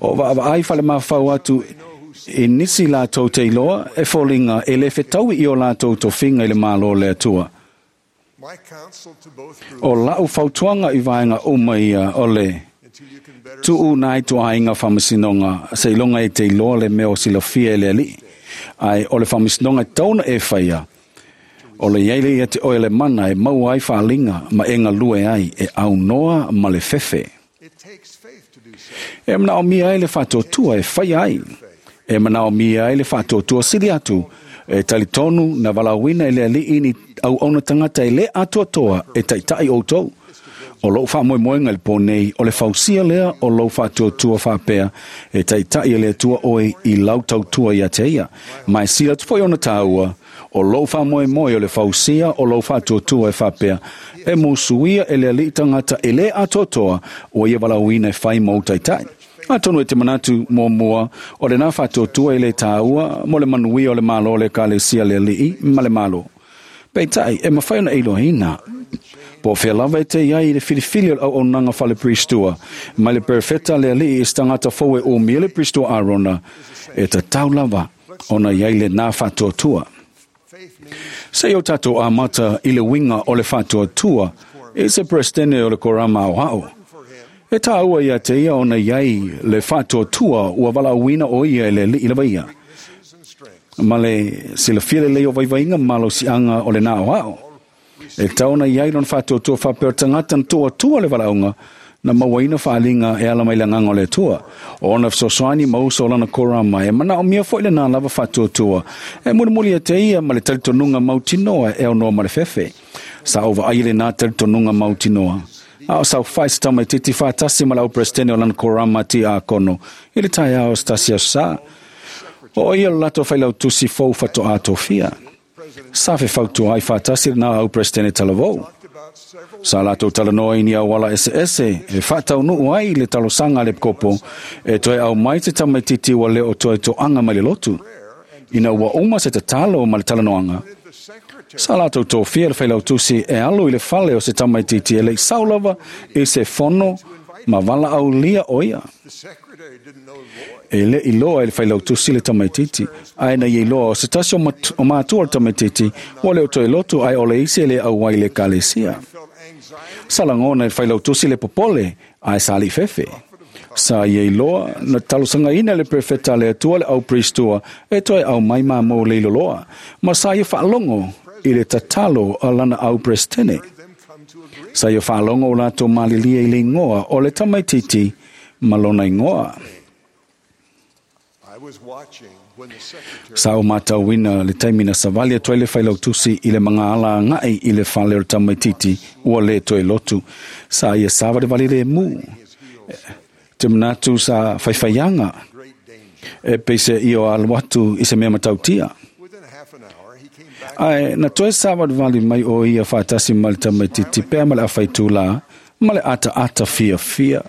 o vaavaai falemafau atu i nisi latou te iloa e foliga e lē fetaui i o latou tofiga i le mālō le Atua. My counsel to both groups O lau fautuaga i vaega uma ia o le until you can better tuu nai toaiga faamasinoga seiloga e te iloa le mea o silafia e le alii. Ae o le faamasinoga e tauna e faia, o le iai le ia te oe le mana e maua ai faaliga ma e galue ai e aunoa ma le fefe. It takes faith to do so. E manaomia ai le faatuatua e faia ai. E manaomia ai le faatuatua sili atu e talitonu na valaauina e le alii ni auauna tagata e lē atoatoa e taitaʻi outou. O lou faamoemoega i le pō nei, o le fausia lea o lou faatuatua faapea, e taita'i e le Atua oe i lau tautua ia te ia. Ma e sila atu foi ona tāua, o lou faamoemoe o le fausia o lou faatuatua e faapea, e musuia e le alii tagata e lē atoatoa ua ia valaauina e fai ma ou taitai. Atonu e te manatu muamua o lenā faatuatua e lē tāua mo le manuia o le malo o le ekalesia le alii ma le malo. Peitai e mafai ona e iloaina po o fea lava e te iai i le filifili o le auaunaga faleperistua mai le perofeta le alii i se tagata fou e umia le peristua Arona, e tatau lava ona iai lenā faatuatua. Se i o tatou amata i le uiga o le faatuatua i se Peresetene o le Korama Aoao. E tāua ia te ia ona iai le faatuatua ua valaauina o ia e le alii lava ia. Ma le silafia lelei o vaivaiga ma malosiaga o lenā aoao. E tatau ona iai lona faatuatua faapea o le tagata na tuuatua le valaauga na mauaina faaaliga e ala mai le agaga o le Atua. O ona fesoasoani ma uso o lana korama e manaomia foi lenā lava faatuatua. E mulimuli ia te ia ma le talitonuga mautinoa e aunoa ma le fefe. Sa ou vaai i lenā talitonuga mautinoa. A o saofai se tamaitiiti faatasi ma le au Peresetene o lana korama tiakono i le taeao o se tasi aso sa. O ia lo latou failautusi fou faatoa tofia. Sa fefautua ai faatasi lenā au Peresetene talavou. Sa latou talanoa i ni auala eseese e faataunuu ai le talosaga a le epikopo e toe aumai se tamaitiiti ua le o toe toaga mai le lotu. Ina ua uma se tatalo ma le talanoaga, sa latou tofia le failautusi e alu i le fale o se tamaitiiti e le'i sao lava i se fono ma valaaulia o ia. E le'i iloa e le failautusi le tamaitiiti, ae na ia iloa o se tasi o matua o le tamaitiiti ua le o toe lotu ae o le isi e le auai i le ekalesia. Sa lagona e le failautusi le popole ae sa aliifefe. Sa ia iloa na talosagaina e le perofeta a le Atua le auperistua e toe aumai mamou leiloloa, ma sa ia faalogo i le tatalo a lana auperesetene. Sa ia faalogo o latou malilie i le igoa o le tamaitiiti ma lona igoa. Sa ou matauina le taimi na savali atu ai le failautusi i le magaala agai i le fale o le tamaitiiti ua lē toe lotu. Sa ia savalivali lemu. Te manatu sa faifaiaga e peiseai o alu atu i se mea matautia. Ae na toe savalivali mai o ia faatasi ma le tamaitiiti pea ma le afaitulā ma le ataata fiafia.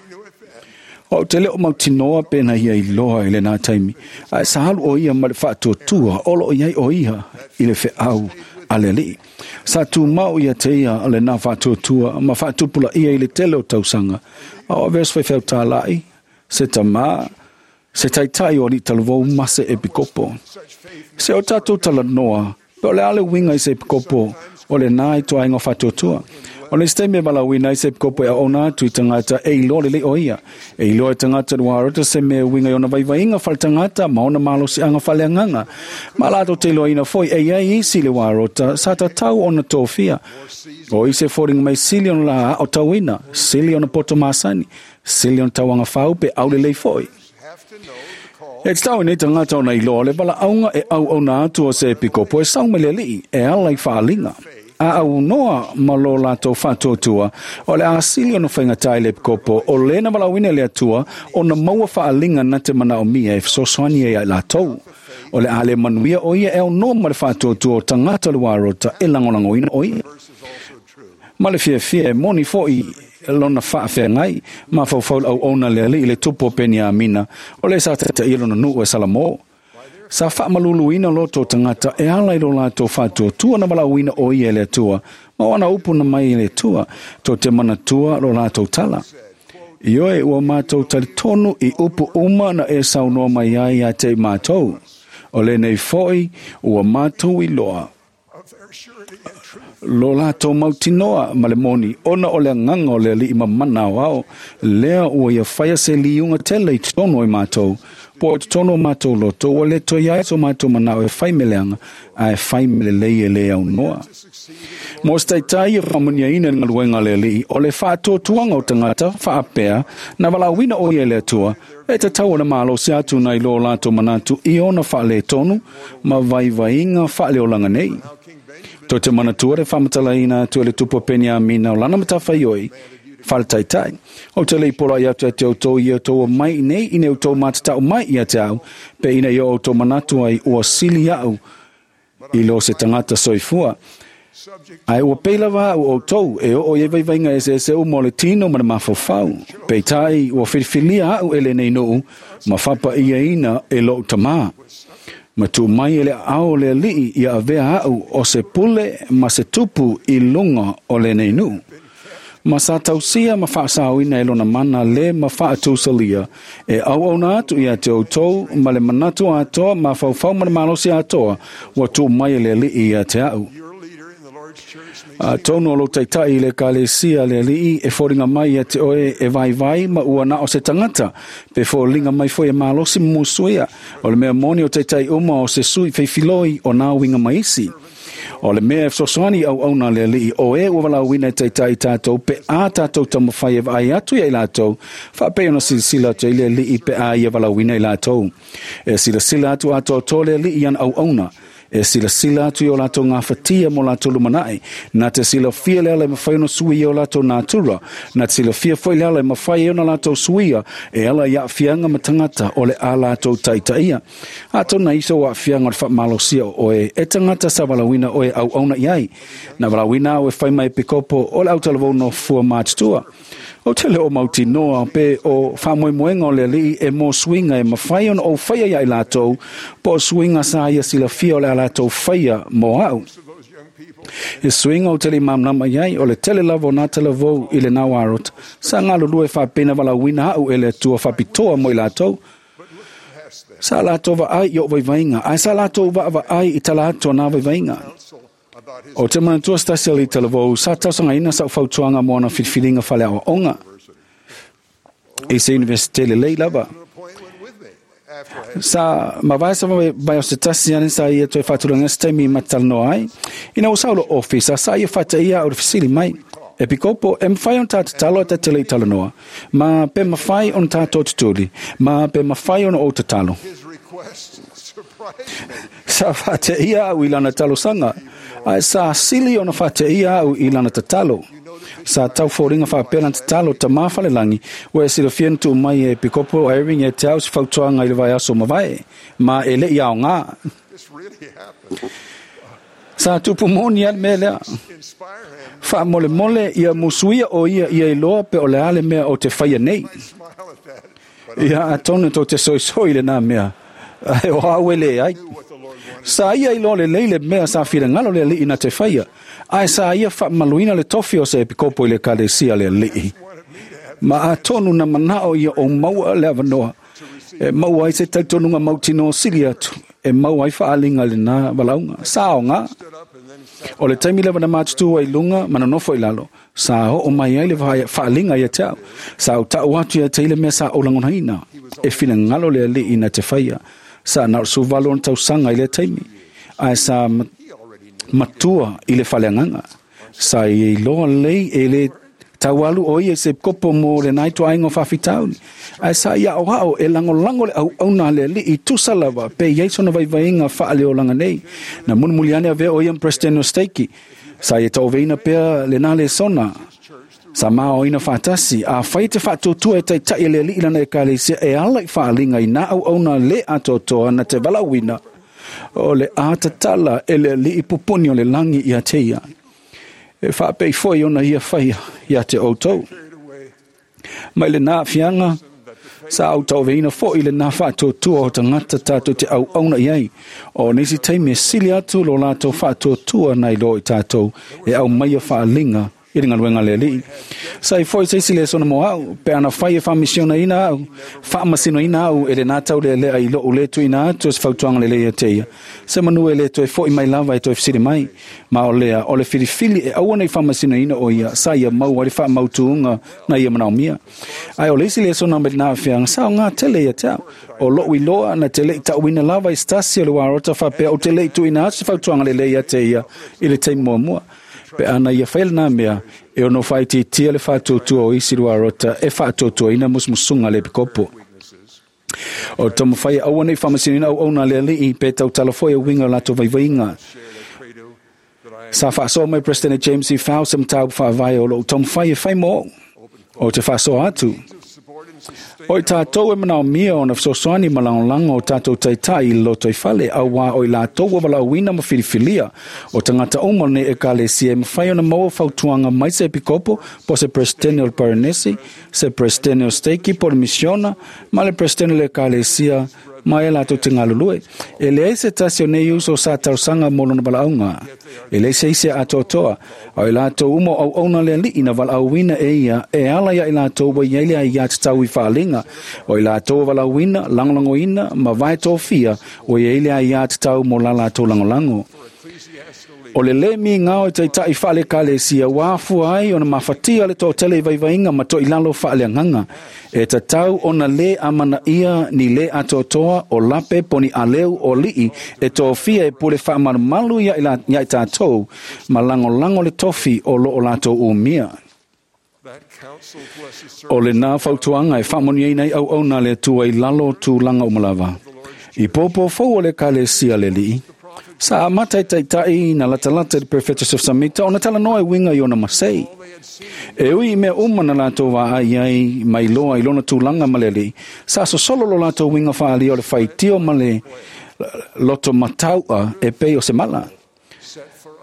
O te le o mautinoa pe na ia iloa i lenā taimi, ae sa alu o ia ma le faatuatua o loo iai o ia i le feau a le alii. Sa tumau ia te ia lenā faatuatua ma faatupulaia i le tele o tausaga, a o avea se faifeau tāla'i, se tamā, se taitai o alii talavou ma se epikopo. Se o tatou talanoa, pe o le a le uiga i se epikopo o lenā ituaiga o faatuatua. O le isi taimi e valaauina ai se epikopo e auauna atu i tagata e iloa lelei o ia. E iloa e tagata le uaarota se mea e uiga i ona vaivaiga faletagata ma ona malosiaga faaleagaga. Ma latou te iloaina foi e iai isi le uaarota sa tatau ona tofia. O isi e foliga mai sili ona la aotauina, sili ona poto masani, sili ona tauaga fau pe aulelei foi. E tatau i nei tagata ona iloa le valaauga e auauna atu o se epikopo e sau mai le alii e ala i faaaliga. A aunoa ma lo latou faatuatua, o le a sili ona faigatā i le epikopo o lē na valaauina e le Atua ona maua faaaliga na te manaomia e fesoasoani ai ia i latou. O le a le manuia o ia e aunoa ma le faatuatua o tagata o le uarota e lagolagoina o ia. Ma le fiafia e moni foi lona faafeagai, mafaufau le auauna a le alii i le tupu o Peniamina, o lē sa taitaia lona nuu e Salamo. Sa faamaluluina loto o tagata e ala i lo latou faatuatua na valaauina o ia e le Atua, ma o ana upu na mai e le Atua, tou te manatua lo latou tala. Ioe, ua matou talitonu i upu uma na e saunoa mai ai ia te i matou. O lenei foi ua matou iloa lo latou mautinoa ma le moni, ona o le agaga o le alii mamana aoao, lea ua ia faia se liuga tele i totonu o i matou, po o totonu o matou loto, ua le toe iai so matou manao e fai me leaga, ae fai me lelei e lē aunoa. Mo se taitai e faamanuiaina i le galuega a le alii, o le faatuatuaga o tagata faapea na valaauina o ia e le Atua, e tatau ona malosi atu nai lo latou manatu i ona faaletonu ma vaivaiga faaleolaga nei. Tou te manatua le faamatalaina atu e le tupu o Peniamina o lana matafaioi, Faletaitai. O te lei pola i atu e te outou i outou mai nei ine outou matatau mai ia te au, pe ina i o outou manatu ai ua sili au i lo se tangata soifua. Ai ua pela va au outou e o e vaivainga e se se o mo le tino ma le mafofau. Pe tai ua filifilia au ele nei nuu, ma whapa ia ina e lo tamā. Ma tu mai ele ao le alii ia avea au o se pule ma se tupu i lunga o le nei nuu. Ma sa tausia ma whaasauina e lona mana le ma whaatusalia. E au au na atu ia te outou ma le manatu atoa ma whaufau ma le malosi atoa wa tu mai le alii ia te au. A tonu o lo taitai le kalesia le alii e fōringa mai ia te oe e vai vai ma ua na o se tangata. Pe fōringa mai foi e malosi musuia. O le mea moni o taitai uma o se sui feifiloi o nā winga maisi. O le mea fesoasoani au au nā le alii o e ua walauina e taitai tātou pe a tātou tamawhai e vai atu ia i lātou whaapei ona silasila atu i le alii pe a ia walauina i lātou. E silasila atu atoa tō le alii an au auna. E silasila atu i o lātou ngā whatia mo lātou lumanai. Nā te silafia le ala e mawhai ono sui o lātou nātura. Nā te silafia foi le ala e mawhai ona lātou suia. E ala i aafianga matangata o le a lātou taitaia. Ato na iso o aafianga o le whaamalosia o e e tangata sa walawina o e au auna iai. Nā walawina o e whai mai pikopo o le autalavou no fua mātutua. O te leo mauti noa pe o whamoemoenga o le alii e mō suinga e mawhai ona o whaia ia i lātou, po o suinga sa ia silafia o le a lātou whaia mō au. E suinga o tele mamnama iai o le tele lavo nā tele vau i le nau arot, sa ngalo lue whapena walawina au e le atua whapitoa mo i lātou. Sa lātou wa ai i o vaivainga, ai sa lātou wa wa ai i tala atua nā vaivainga. O te manatua stasi ali talavou, sa tausanga ina sa ufautuanga mo ana filfilinga fale awa onga. E se universite le lei lava. Sa mawai sa mai o se tasi ane sa ia toe whāturanga se taimi matalanoa ai. Ina o saulo ofisa, sa ia whata ia o le fisili mai. E pikopo, e mwhai on tātou talo e te lei talanoa. Ma pe mawhai on tātou tutuli. Ma pe mawhai on o te talo. Sa whate ia au i lana talosanga. Ai sa sili ona whate ia au i lana tatalo. Sa tau fōringa whapela tatalo ta mawhalelangi. Ua e silafia tu mai e pikopo Irving e te au si fautuanga i le vai aso mawai. Ma e le iao ngā. Sa tupu moni al mea lea. Wha mole mole ia musuia o ia ia iloa pe o le ale mea o te whaia nei. Ia atonu tō te soisoi le nā mea. Ai o hau ele ai. Sa ia i le leile mea sa whirangalo le alii na te whaia. Ai sa ia whaamaluina le tofi o se epikopo i le kalesia le alii. Ma atonu na manao ia o maua le awanoa. E maua ai se tautonunga mautino sili atu. E maua ai whaalinga le nā walaunga. Sa o ngā. O le taimi lewa na mātutua i lunga mananofo i lalo. Sa o o mai ai le whaalinga ia te au. Sa o tau atu ia te ile mea sa o langonaina. E whirangalo le alii na te whaia. Sa na suvalo on tausanga i le taimi. Ai sa matua i le whaleanganga. Sa i loa lei e le taualu o ia se kopo mo le naito aingo whawhitauni. Ai sa ia o hao e langolango le au auna le alii tusalawa pe iai sona vaivainga whaale o langa nei. Na munumuliane avea o ia mpresidente o steiki. Sa ia tauveina pea le nā le sona. Sa mao ina whātasi, a whai te whātōtua e taitai le alii lana e kalesia e ala i whaalinga i nā au auna le atoatoa na te walawina o le ātatala e le alii pupuni o le langi ia te ia. E whaapei foi ona ia whaia ia te outou. Mai le nā whianga, sa au tauveina foi le nā whātōtua o tangata tātou te au auna iai. O nisi taimi e sili atu lo lātou whātōtua nei lo i tātou e au maia whaalinga i le ngaluenga le alii. Sa i foi se isi le sona mo au, pe ana whai e whamisiona ina au, whaamasino ina au e le nā tau le lea i lo ule tu ina atu se fautuanga le lea te ia. Se manu e le toe foi mai lava e toe fisiri mai. Ma o lea, o le filifili e au ana i whaamasino ina o ia, sa ia mau ale whaamautuunga na ia manao mia. Ai o le isi le sona me nā whianga, sa o ngā tele ia te au. O lo iloa na te lei tauina lava i stasi o le warota whapea o te lei tu ina atu se fautuanga le lea te ia i le teimua mua. Pe ana ia whael nā mea, e ono whaiti tia le whātōtua o isi rua rota, e whātōtua ina musmusunga le pikopo. O tomo whai au anei whamasinina au auna le alii, pe tau talafoi o winga o lātou vaivainga. Sa whaasoa mai President James E. Faust sa mtau whaavai o lou tomo whai e whai mō. O te faasoa atu. O i tātou e manaomia ona fesoasoani ma lagolago o tātou taitai i le lotoifale, auā o i latou ua valaauina ma filifilia. O tagata uma o lenei ekalesia e mafai ona maua fautuaga mai se epikopo po se peresetene o le parenesi, se peresetene o steiki po le misiona ma le peresetene o le ekalesia ma e latou te galulue. E leai se tasi o nei uso sa talosaga mo lona valaauga. E leai se isi e atoatoa, a o i latou uma o auauna le alii na valaauina e ia e ala ia i latou ua i ai le aiā tatau i faaliga. O i latou ua valaauina, lagolagoina ma vae tofia ua i ai le aiā tatau mo la latou lagolago. O le lē migao e taitai faale-ekalesia ua afua ai ona mafatia le toatele i vaivaiga ma toilalo faaleagaga. E tatau ona lē amanaia ni lē atoatoa o lape po ni aleu o alii e tofia e pule faamalumalu ia i tatou ma lagolago le tofi o loo latou umia. O lenā fautuaga e faamanuiaina ai auauna a le Atua i lalo o tulaga uma lava. I pōpō fou o le ekalesia le alii, sa amata i taitai na latalata i le Perefeta Joseph Samita ona talanoa e uiga i ona masei. E ui i mea uma na latou vaai ai mai loa i lona tulaga ma le alii, sa sosolo lo latou uiga faaalia o le faitio ma le loto matau'a e pei o se mala.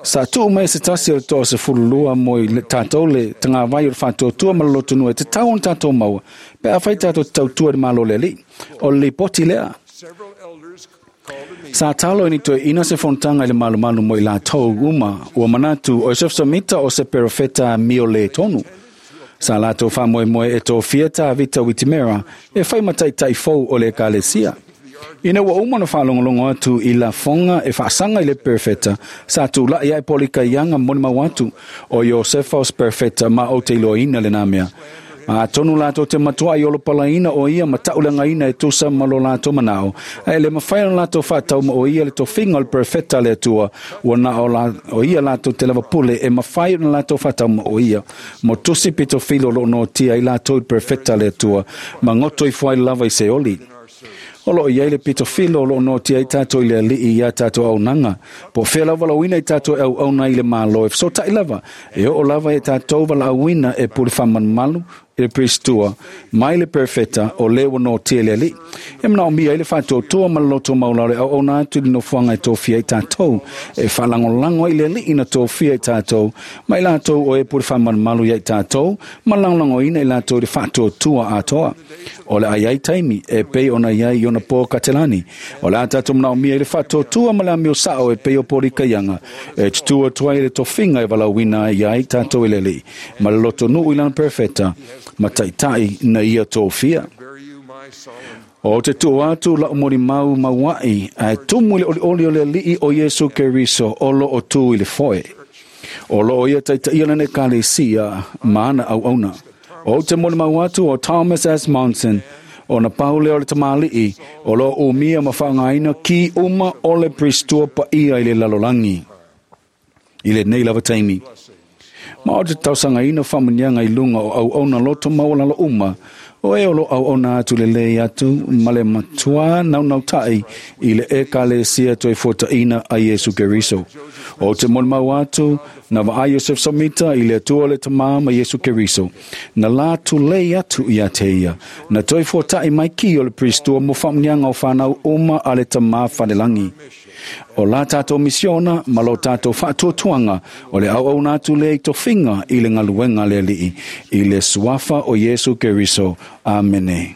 Sa tuu mai se tasi o le toa sefululua mo i tātou le tagavai o le faatuatua ma le lotonua e tatau ona tātou maua pe afai tātou te tautua i le Malo o le Alii. O le lipoti lea. Sa talo i ni toeaina se fonotaga i le malumalu mo i latou uma ua manatu o Joseph Samita o se perofeta mio lē tonu. Sa latou faamoemoe e tofia Tavita Witimera e fai ma taitai fou o le ekalesia. Ina ua uma ona faalogologo atu i lafoga e faasaga i le perofeta, sa tula'i ae polikaiaga molimau atu o Iosefa o se perofeta ma ou te iloaina lenā mea. Atonu latou te matua'i olopalaina o ia ma ta'uleagaina e tusa ma lo latou manao, ae le mafai ona latou fa'atauma o ia le tofiga o le perofeta a le Atua, ua na o, la, o ia latou te lava pule e mafai ona latou fa'atauma o ia. Mo tusi pitofilo o lo'o noatia ai latou i le perofeta a le Atua, ma goto ifo ai lava i Seoli. O loo i ai le pitofilo o loo noatia ai tātou i le alii ia tātou auaunaga. Po o fea lava valaauina i tātou e auauna i le Malo e fesota'i lava, e oo lava e tātou valaauina e pule faamalumalu i le Peristua mai le perofeta o lē ua noatia i le alii. E manaomia ai le faatuatua ma le loto maulalo e auauna atu i le nofoaga e tofia ai tātou, e faalagolago ai le alii na tofia i tātou, ma i latou o e pule faamalumalu ia i tātou, ma lagolagoina i latou i le faatuatua atoa. O le ai ai taimi e pei ona iai i ona pō katelani. O le a tātou manaomia i le faatuatua ma le amio sa'o e pei o polikaiaga, e tutū atu ai le tofiga e valaauina ai ai tātou i le alii, ma le lotonuu i lana perofeta, ma taitai na ia tofia. O te tuu atu la'u molimau maua'i ae tumu i le olioli o le alii o Iesu Keriso o loo tū i le foe. O loo ia taitaia lana ekalesia ma ana auauna. O te molimau atu o Thomas S. Monson, ona pau lea o le tamalii, o loo umia ma faaaogaina ki uma o le Peristua paia i le lalolagi i lenei lava taimi. Ma o te talosagaina faamuniaga i luga o auauna loto maualalo uma, o e o loo auauna atu lelei atu ma le matuā naunauta'i i le ekalesia toe fuataʻina a Iesu Keriso. O te molimau atu na vaai Iosef Samita i le Atua le Tamā ma Iesu Keriso, na lā tulei atu ia te ia, na toe fuataʻi mai ki o le Peristua mo faamuniaga o fanau uma a le Tamā falelagi. O la tātou misiona ma lo tātou faatuatuaga o le auauna atu lea i tofiga i le galuega a le alii i le suafa o Iesu Keriso. Amene.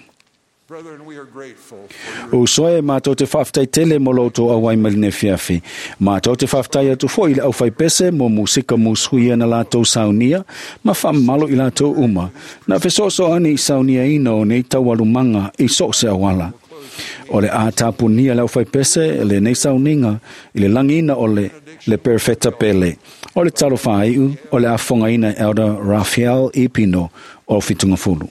Brethren, we are grateful for your Uso e mātou te faafetai tele mo lo outou auai mai lenei afiafi. Mātou te faafetai atu foi i le aufaipese mo musika musuia na latou saunia ma faamamalo i latou uma. Na fesoasoani i sauniaina o nei taualumaga i so o se auala. O le a tapunia le aufaipese lenei sauniga i le lagiina o le le perofeta pele. O le talofa aiu o le afogaina e Elder Raphael E. Pino o Fitungafulu.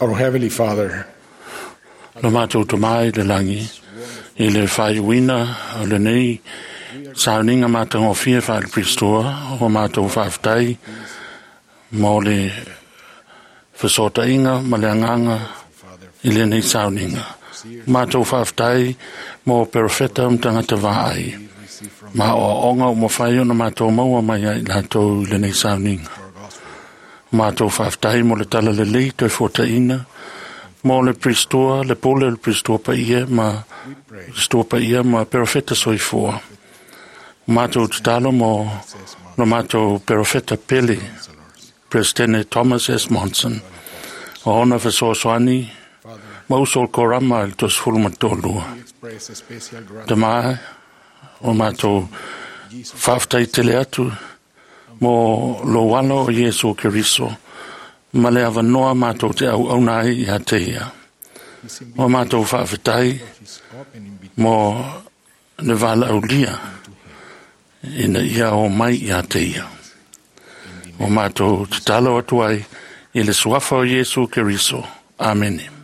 Our Heavenly Father, Lo mātou tamai le langi, i le whaiuina o le nei sauninga mātangofie whaile Pristoa, o mātou whaaftai mō le whasotainga ma le anganga i le nei sauninga. Mātou whaaftai mō perofeta mtangata vaai. Ma o onga o mawhai ona mātou maua mai ai lātou i le nei sauninga. Mātou whaaftai mō le tala le lei toi fōtaina, mō le Pristoa, le pole le Pristoa pa ia ma Pristoa pa ia ma perofeta soifua. Mātou tatalo mō no mātou perofeta pele, Presidente Thomas S. Monson, o ona whasoasoani, ma uso o korama i le tosifulu ma tōlua. express a special Te mai, o mātou whaaftai tele atu mō lo walo o Iesu Keriso, ma le awanoa mātou te au auna ai i a te ia. O mātou whaaftai mō le wala aulia ina ia o mai i a te ia. O mātou tatalo atu ai i le suafa o Iesu Keriso. Amene.